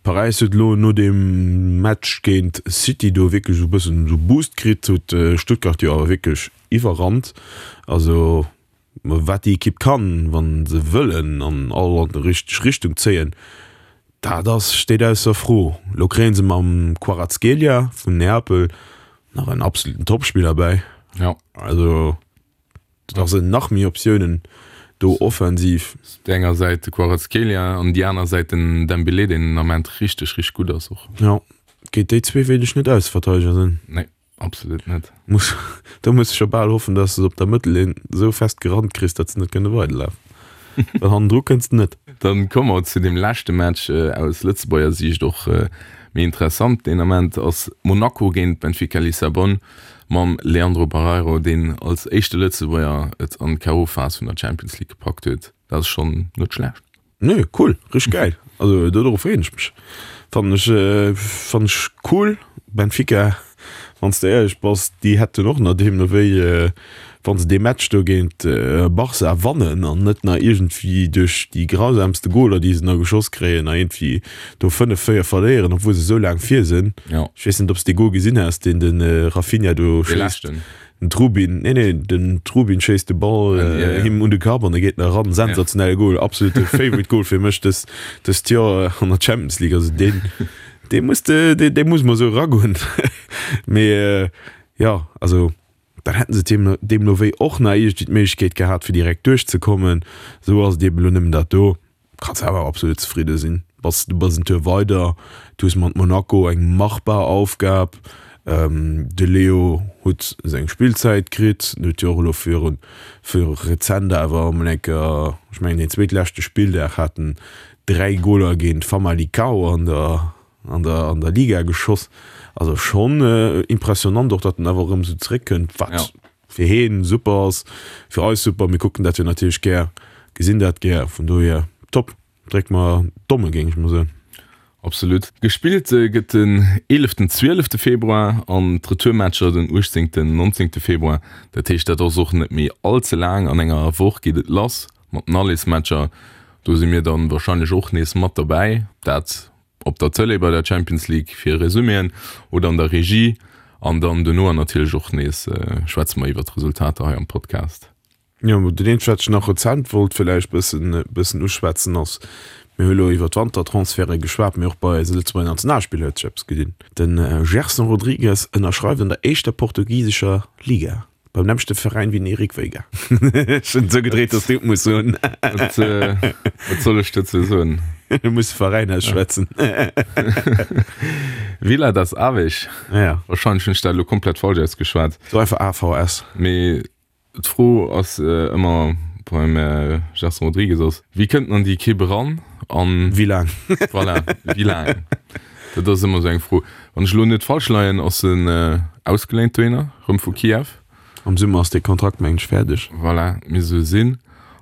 Paräis huet elo no deem Match géint City do wierklech esou e bëssen esou Boost kritt, huet Stuttgart jo awer wierklech iwwerrannt. Also wat déi Ekipp kann, wa se wëllen an all an déi richteg Richtung zéien, dat ass, steet ausser Fro. Elo kréie se mam Kvaratskhelia vun Neapel nach en absoluten Topspiller bäi. Also. Da sinn nach méi Optiounen do offensiv. Op där enger Säit de Kvaratskhelia an déi aner Säit den Dembélé, deen den Ament richteg, richteg gutt ass och. Jo, géint déi zwee wéilt ech net Ausverteideger sinn. Nee, absolut net. Muss, do muss ech scho bal hoffen, dass de se op der Mëttellinn esou fest gerannt kriss, datt se net kënne weiderlafen. Well hannendru kënns de net. Dann komme mer zu deem leschte Match, aus Lëtzebuerger Siicht och méi interessant deen Ament, ass Monaco géint Benfica Lissabon. Mam Leandro Barreiro, deen als éischte Lëtzebuerger et an d'KO-Phas vun der Champions League gepackt huet. Dat ass schonn net schlecht. Nee, cool, richteg gäil. Also dodrop freeën ech mech. Fannen ech, fannen ech cool. Benfica, wann s de éierlech bass, déi hätten och nach deemno wéi, wann se dee Match do géint Barça wannen an net nach iergendwéi duerch déi grausamste Goler, déi se nach geschoss kréien, nach iergendwéi do 5, 4 verléieren, obwuel se esou laang vir sinn. Ja. Ech weess net, ob s de dee Gol gesinn has, deen de Raphinha do Dee schéisst. leschten. Den Trubin, nee, nee, den Trubin schéisst de Ball Ja, ja, ja. him un de Kapp an e geet nach eran. Sensationelle Gol, absolute Favorite Goal fir mech dës, dëst Joer an der Champions League. Also deen, dee muss de, dee, dee muss mol esou eragoen. Mee jo, also dann hätten se deemno, deemno wéi och nach iergendwéi d'Méiglechkeet gehat, fir direkt duerchzekommen. Esou ass et eben elo nëmmen dat do. Kanns awer absolut zefridde sinn. Bass, du bass en Tour weider, du hues mat Monaco eng machbar Aufgab. De Leo huet seng Spillzäit kritt, en huet jo och elo virun, viru rezent awer emol eng Kéier, ech mengen deen zweetleschte Spilldag hat en 3 Goler géint Famalicão an der, an der, an der Liga geschoss. Also schonn impressionant och, datt en awer erëm esou zeréckkënnt, wat fir heen super ass, fir eis super. Mir kucken dat jo natierlech gär. Gesinn dat gär, vun dohier top. Dréck mer d'Domme géing ech mol soen. Absolut. Gespillt gëtt den eeleften, zwielefte Februar an d'Retourmatcher den uechtzéngten, nonzéngte Februar. Dat heescht, dat ass och net méi all ze laang. An enger Woch geet et lass mat den Allesmatcher. Do si mir dann warscheinlech och nees mat derbäi. Dat op der Tëlee bei der Champions League fir Resuméen oder an der Regie. An dann dono natierlech och nees schwätze mer iwwer d'Resultater hei am Podcast. Jo, dat eenzegt wat ech nach rezent wollt villäicht bëssen bëssen uschwätzen ass, mir hu elo iwwer d'Wantertransferte geschwat, mee och bei eise Lëtzebuerger Nationalspiller huet sech eppes gedinn. De Gerson Rodrigues ënnerschreift an der éischter portugisescher Liga beim nämmlechte Veräin wéi den Eric Veiga. Ech hunn et esou gedréit, datt s du et muss soen. Wat wat soll ech dozou soen? Du muss de Veräin ausschwätzen. Vila das Aves. Ja. Warscheinlech hunn ech dat elo komplett falsch ausgeschwat. So einfach AVS. Mee D'Fro ass ëmmer beim Gerson Rodrigues ass, wéi kënnt en an déi Ekipp eran an. Wéi laang? Voilà, wéi laang? Dat ass ëmmer esou eng Fro. Wann ech elo net falsch leien, ass en ausgeléint dohinner, erëm vu Kiew. Am Summer ass dee Kontrakt, mengen ech, fäerdeg. Voilà, misst esou sinn.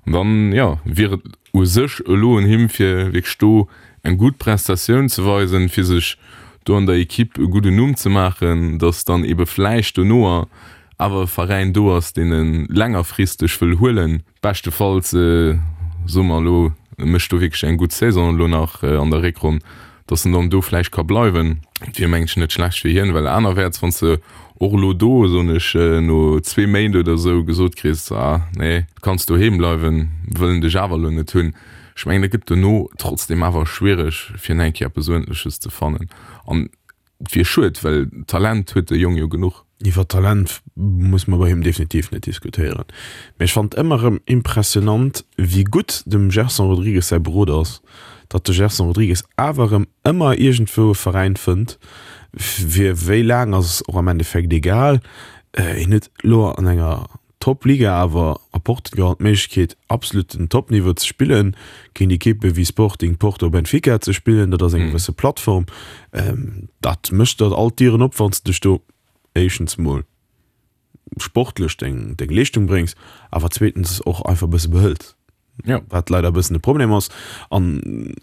An dann, jo, wier et u sech elo un him, fir wierklech do eng gutt Prestatioun ze weisen, fir sech do an der Ekipp e gudden Numm ze maachen, datt dann ebe vläicht dono awer e Veräin do ass, deen e längerfristeg wëll huelen. Beschtefalls, soe mer elo, e mécht do wierklech eng gutt Saison elo nach an der Réckronn, datt en dann do vläicht ka bleiwen. Et wier, mengen ech, net schlecht fir hien, well anerwäerts, wann s de och elo do, soen ech, no zwee Méint oder esou gesot kriss, ah nee, du kanns doheem bleiwen, wëllen dech awer elo net hunn, ech mengen, dat gëtt dono trotzdem awer schwiereg, fir nach eng Kéier eppes Uerdentleches ze fannen. An Et wier schued, well Talent huet de Jong jo genuch. Iwwer Talent muss mer bei him definitiv net diskutéieren, mee ech fannt ëmmer erëm impressionant wéi gutt dem Gerson Rodrigues säi Beroder ass, datt de Gerson Rodrigues awer erëm ëmmer iergendwou e Veräin fënnt, fir wéi laang ass och am Endeffekt egal, hien huet elo an enger Top-Liga awer a Portugal d'Méiglechkeet absoluten Top-Niveau ze spillen, géint Ekippe wéi Sporting, Porto, Benfica ze spillen. Dat ass eng gewësse Plattform. Dat mécht der all d'Dieren op, wann s de dech do éischtens mol sportlech deng Leeschtung bréngs, awer zweetens och einfach e bësse behëls. Ja. Wat leider e bëssen de Problem ass. An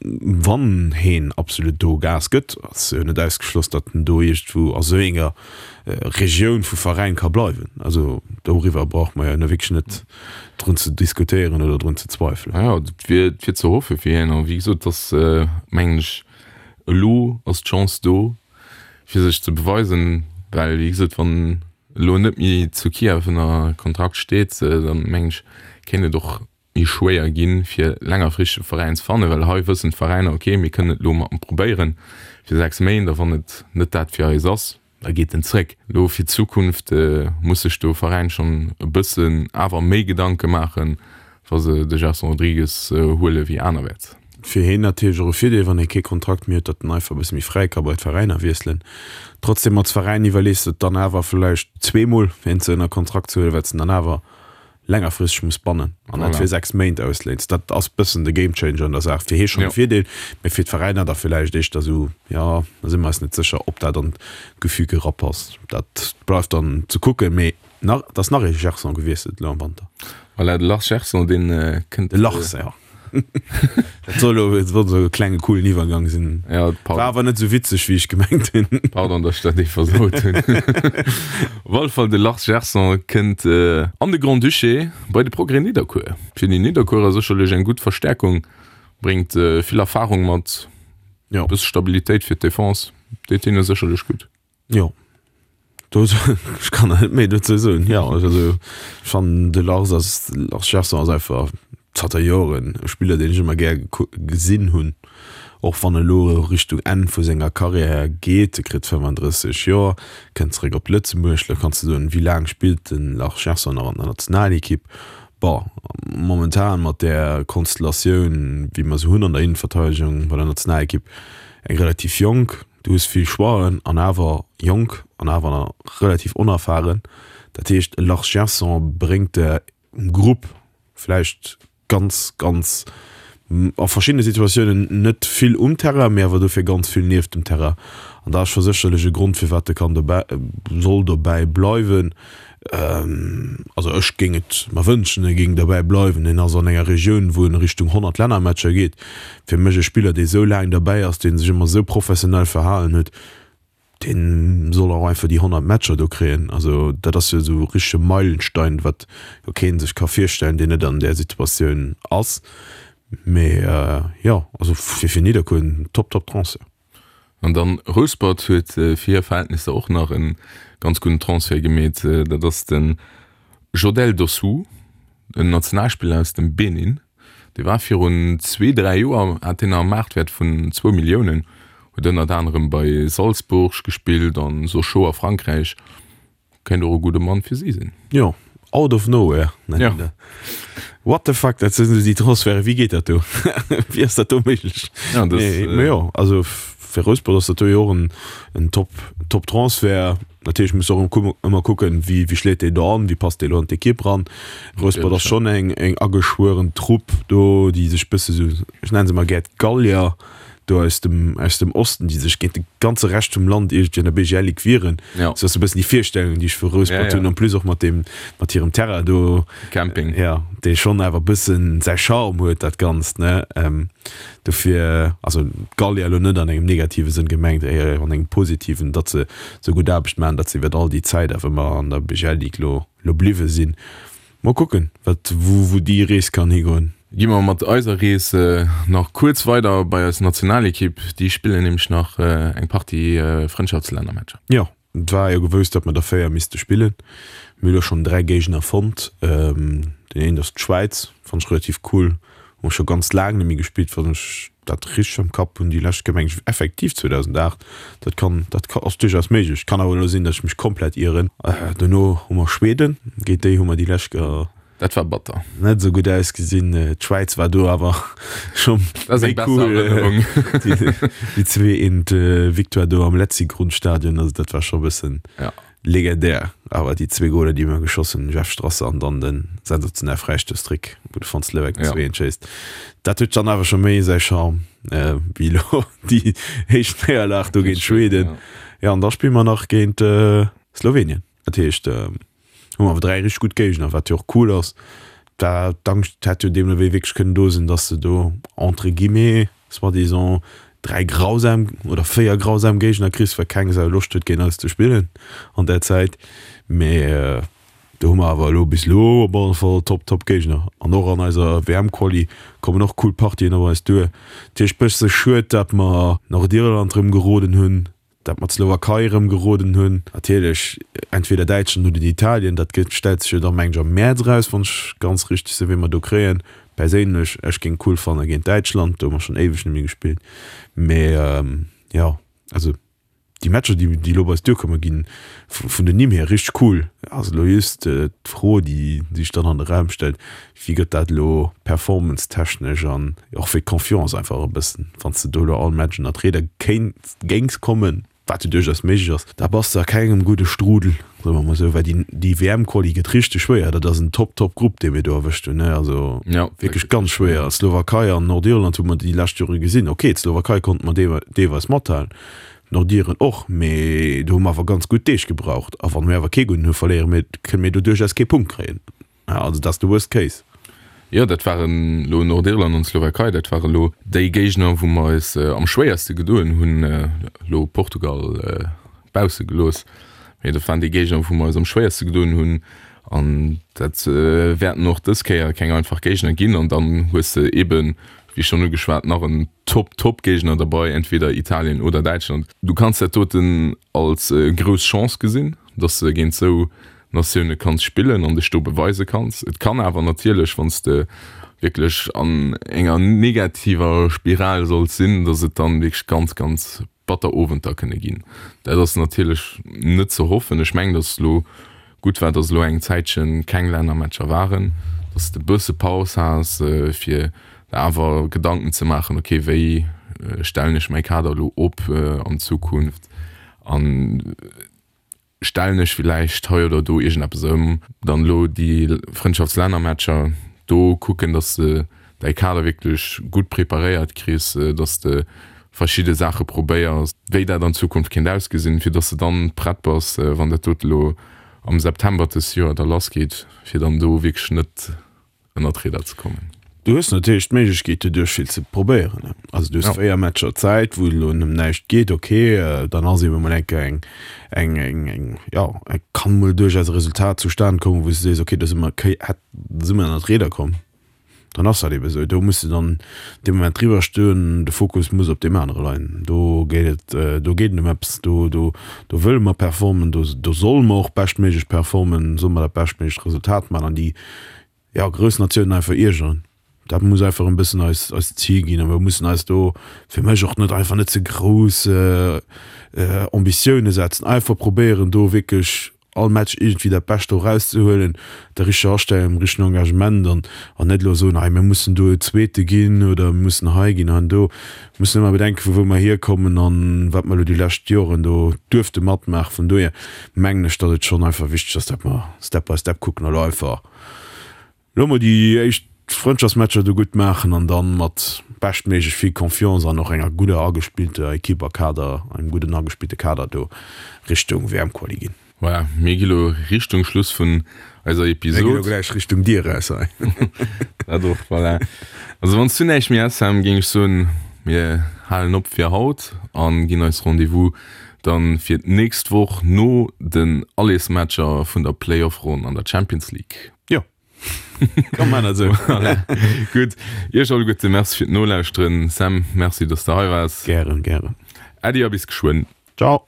wann heen absolut do Gas gëtt, ass jo net ausgeschloss, datt en do iergendwou a sou enger Regioun vu Veräin ka bleiwen. Also doriwwer brauche mer jo elo wierklech net drun ze diskutéieren oder drun ze zweifelen. Ja, et wier, et wier ze hoffe fir hien. A wéi gesot, et ass, mengen ech, elo ass d'Chance do, fir sech ze beweisen, well wéi gesot, wann elo net méi zu Kiew ënner Kontrakt steet, dann mengen ech, kéint et och méi schwéier ginn, fir längerfristeg e Veräin ze fannen, well hei wëssen d'Veräiner, ok, mir kënnen et elo mat em probéieren fir 6 Méint a wann et net dat fir eis ass, da geet en zréck. Elo fir d'Zukunft muss sech do Veräin schonn e bëssen awer méi Gedanke maachen, wa se de Gerson Rodrigues huele wéi anerwäerts. Fir hien natierlech och e Virdeel, wann hie kee Kontrakt méi huet, datt en einfach e bësse méi fräi ka bei d'Veräiner wiesselen. Trotzdem, als Veräin iwwerlees de et dann awer vläicht zweemol, hien ze ënner Kontrakt ze huelen, well s de en dann awer längerfristeg muss bannen an net fir 6 Méint ausléins. Dat ass bëssen de Gamechanger an der Saach. Fir hie schonn e Virdeel, mee fir d'Veräiner da villäicht éischter esou, jo, da si mer eis net sécher, ob dat an d'Gefüge erapasst. Dat bleift dann ze kucken, mee Nach, et ass nach ee Gerson gewiesselt elo am Wanter. Voilà, de Lars Gerson, deen kënnt. De Lars, ja. Dat soll elo, et wollt esou e klenge coolen Iwwergang sinn. Ja, pardon. War awer net esou witzeg, wéi ech gemengt hunn. Pardon, datt ech dat ee versaut hunn. Op alle Fall, de Lars Gerson kënnt an de Grand-Duché bei de Progrès Nidderkuer. Fir déi Nidderkuerer sécherlech eng gutt Verstäerkung, bréngt vill Erfarung mat, e bësse Stabilitéit fir d'Defense, deet hinne sécherlech gutt. Jo, do, ech kann net méi dozou soen. Jo, also ech fannen de Lars ass, Lars Gerson ass einfach zanter Joren e Spiller, deen ech ëmmer gär gesinn hunn, och wann e lo Richtung Enn vu senger Karriär geet. E kritt 35 Joer, kënnt zeréck op Lëtzebuerg. Lo kanns de soen, wéi laang spillt de Lars Gerson nach an der Nationalekipp? Bon, momentan mat där Konstellatioun, wéi mer se hunn an der Innenverteidegung bei der Nationalekipp, eng relativ jonk. Du hues vill Choixen an awer jonk an awer relativ onerfahren. Dat heescht, e Lars Gerson bréngt der um Grupp vläicht ganz, ganz a verschiddene Situatiounen net vill um Terrain, mee awer dofir ganz vill nieft dem Terrain. An dat ass scho sécherlech e Grond, firwat e kann dobäi, soll dobäi bleiwen. Also ech géing et mer wënschen, e géing derbäi bleiwen. En ass an enger Regioun, wou en Richtung 100 Lännermatcher geet. Fir mech e Spiller, dee sou laang derbäi ass, dee sech ëmmer sou professionell verhalen huet, dee soll och einfach déi 100 Matcher do kréien. Also dat ass jo esou e richtege Meilenstein, wat jo kee sech ka virstellen, deen net an där Situatioun ass. Mee jo, also fir fir Nidderkuer en top, top Transfert. An dann Rouspert huet fir hir Verhältnisser och nach e ganz gudden Transfert gemeet. Dat ass de Jodel Dossou, en Nationalspiller aus dem Benin. Dee war virun zwee, dräi Joer, hat deen nach e Maartwäert vun zwou Milliounen, huet ënnert anerem bei Salzburg gespillt an Sochaux a Frankräich. Kéint och e gudde Mann fir si sinn. Jo, out of nowhere nennen ja. dat. What the fuck, dat sinn esou déi Transferte, wéi geet dat do? Wéi ass dat do méiglech? Ja, das, nee, äh, jo, also fir Rouspert ass dat do jo och en, en Top, Top Transfert. Natierlech muss och ëmmer kucken, wéi, wéi schléit deen do an, wéi passt dee lo an d'Ekipp ran. Rouspert ass schonn eng, eng ageschwueren Trupp do, déi sech bësse sou, ech nennen se mol gär d'Gallier, do aus dem, aus dem Osten, déi sech géint de ganze Rescht vum Land iergendwéi an der BGL Ligue wieren. Ja. Sou ass e bëssen déi Virstellung, déi ech vu Rouspert Ja, ja. hunn, en plus och mat deem, mat hirem Terrain do. Camping. Ja, dee schonn awer e bëssen säi Charme huet, dat Ganzt, ne? Dofir, also d'Gallier elo net an engem negative Sënn gemengt, éier an engem positiven, datt se sou gutt Aarbecht maachen, datt se iwwert all déi Zäit awer ëmmer an der BGL Ligue lo, lo bliwwe sinn. Mol kucken, wat, wou, wou déi Rees kann higoen. Gi mer mat eiser Rees nach kuerz weider bei eis Nationalekipp. Déi spillen nämlech nach eng Partie Frëndschaftslännermatcher. Jo, et war jo gewousst, datt mer der 4 misste spillen. Mir hu lo schonn 3 Géigner fonnt. Deen eent ass d'Schwäiz, fannt ech relativ cool. Hu mer scho ganz laang net méi gespillt, wann ech dat richteg am Kapp hunn. Déi lescht Kéier meng ech effektiv 2008. Dat kann, dat ass duerchaus méiglech. Kann awer elo sinn, datt ech mech komplett ieren. Dono hu mer Schweden, géint déi hu mer déi lescht Kéier. Dat war batter. Net esou gutt ausgesinn. D'Schwäiz war do awer scho méi cool. Déi 2, 1 Victoire do am Letzigrundstadion, also dat war scho e bëssen. Legendär awer déi zwee Goler déi mir geschoss hunn, Jeff Strasser an dann den sensationell Fräistouss-Trick wou de Fons Leweck den 2 1 schéisst. Dat huet dann awer scho méi säi Charme wéi elo déi éischt Néierlag do géint Schweden. Jo an da spille mer nach géint Slowenien. Dat heescht hu mer awer 3 richteg gutt Géigner, wat jo och cool ass. Da d'Angscht hätt jo deemno wéi wierklech kënnen do sinn, datt se do entre guillemets soi-disant 3 grausam oder 4 grausam Géigner kriss, well keng Sau Loscht huet géint eis ze spillen an där Zäit. Mee do hu mer awer elo bis elo op alle Fall top top Géigner an och an eiser WM-Quali kommen och cool Partien op eis duer. Dat heescht bësse schued, dat mer Nordirland rëm geroden hunn. Dat mer d'Slowakei erëm geroden hunn. Natierlech entweder Däitschland oder Italien, dat gëtt, stellt sech jo da meng ech am Mäerz eraus, wann ech ganz richteg sinn, wee mer do kréien. Perséinlech, ech géing cool fanne géint Däitschland, do hu mer schonn éiweg net méi gespillt. Mee jo, also déi Matcher, déi déi elo bei eis duerkommen, gi vun den Nimm hier richteg cool. Ass elo just d'Fro, déi sech dann an de Raum stellt, Wéi gëtt dat elo performance-technesch an och fir d'Confiance einfach e bëssen, wann s de do elo all Match ënner d'Rieder kéints, géings kommen, wat jo duerchaus méiglech ass, da bass de a kengem gudde Strudel, soe mer mol esou, well déi, déi WM-Quali gëtt richteg schwéier. Dat ass en top, top Grupp, dee mir do erwëscht hunn, ne, also wierklech ganz schwéier. Slowakei an Nordirland hu mer déi lescht Jore gesinn. Ok, d'Slowakei konnte mer deelweis mathalen, d'Nordiren och, mee do hu mer awer ganz gutt Deeg gebraucht. A wann mir awer kee gudden hu, verléiere mir, kënne mir do duerchaus kee Punkt kréien. Also dat ass de worst case. Jo, dat waren elo Nordirland an d'Slowakei, dat ware lo déi Géigner, wou mer eis am schwéierste gedoen hunn, elo Portugal bausse gelooss, mee dat waren déi Géigner, wou mer eis am schwéierste gedoen hunn an dat wäerten och dës Kéier keng einfach Géigner ginn. An dann hues de eeben, wéi schonn ugeschwat, nach en Top-Top-Géigner derbei, entweder Italien oder Däitschland. Du kanns dat doten als grouss Chance gesinn, dass de géint esou Natioune kanns spillen an dech do beweise kanns. Et kann awer natierlech, wann s de wierklech an enger negativer Spiral solls sinn, datt et dann wierklech ganz, ganz batter Owenter kënne ginn. Dat ass natierlech net ze hoffen. Ech mengen, datt et elo gutt war, datt elo eng Zäitche keng Lännermatcher waren, datt s de e bësse Paus has, fir der awer Gedanken ze maachen, okay, wéi stellen ech mäi Kader elo op an Zukunft an Stellen ech villäicht hei oder do iergendeppes ëm? Dann elo déi Frëndschaftslännermatcher, do kucken, dass de däi Kader wierklech gutt preparéiert kriss, dass de verschidde Saache probéiers, wéi dat an Zukunft kéint ausgesinn, fir dass de dann prett bass, wann dat dote elo. am September dës Joer da lass geet, fir dann do wierklech net ënner d'Rieder ze kommen. Du hues natierlech d'Méiglechkeet doduerch vill ze probéieren. Also du hues 4 Matcher Zäit, wou et elo ëm näischt geet, ok, dann ass ebe mol eng Kéier eng, eng, eng, eng, jo, et kann mol duerchaus e Resultat zustan kommen, wou s du sees, ok, do si mer, hätt, si mer ënner d'Rieder komm. Dann ass dat ebe sou. Do muss de dann dee Moment driwwer stoen, de Fokus muss op deem anere leien. Do geet et, do geet et ëm eppes, do, do, do wëlle mer performen, do, do solle mer och beschtméiglech performen, solle mer dat beschtméiglecht Resultat maachen an déi, jo, grouss Natiounen einfach iergeren. Dat muss einfach en bëssen eis, eist Zil ginn a mer mussen eis do fir mech och net einfach net ze grouss Ambitioune setzen, einfach probéieren do wierklech all Match iergendwéi dat Bescht do erauszehuelen, der richteger Astellung, dem richtegen Engagement an an net elo soen, hei mir mussen do Zweete ginn oder mir mussen hei ginn, an do. Mir mussen ëmmer bedenken, vu wou mer hierkommen an wat mer elo déi lescht Joren do duerfte matmaachen. Vun dohier mengen ech, datt et schonn einfach wichteg ass, datt mer Step by Step kucken a elo einfach Lo mol déi éischt Frëndschaftsmatcher do gutt maachen an dann mat beschtméiglech vill Confiance an och enger gudder agespillter Equipe a Kader, engem gudden agespillte Kader do Richtung WM-Quali ginn. Voilà, mir gi lo Richtung Schluss vun eiser Episode. Mir gi lo gläich Richtung Dier raus hei. Dat och, voilà. Also wann s du näischt méi häss, Sam, géing ech soen, mir halen op fir haut an ginn eis Rendez-vous dann fir d'nächst Woch no den Allesmatcher vun der Playoff-Ronn an der Champions League. Jo. Komm man dat esou. Voilà. Gutt. Iech alleguerte Merci fir d'Nolauschteren. Sam, Merci, dass de hei waars. Gären, gären. Äddi a bis geschwënn. Ciao.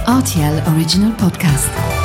RTL Original Podcast.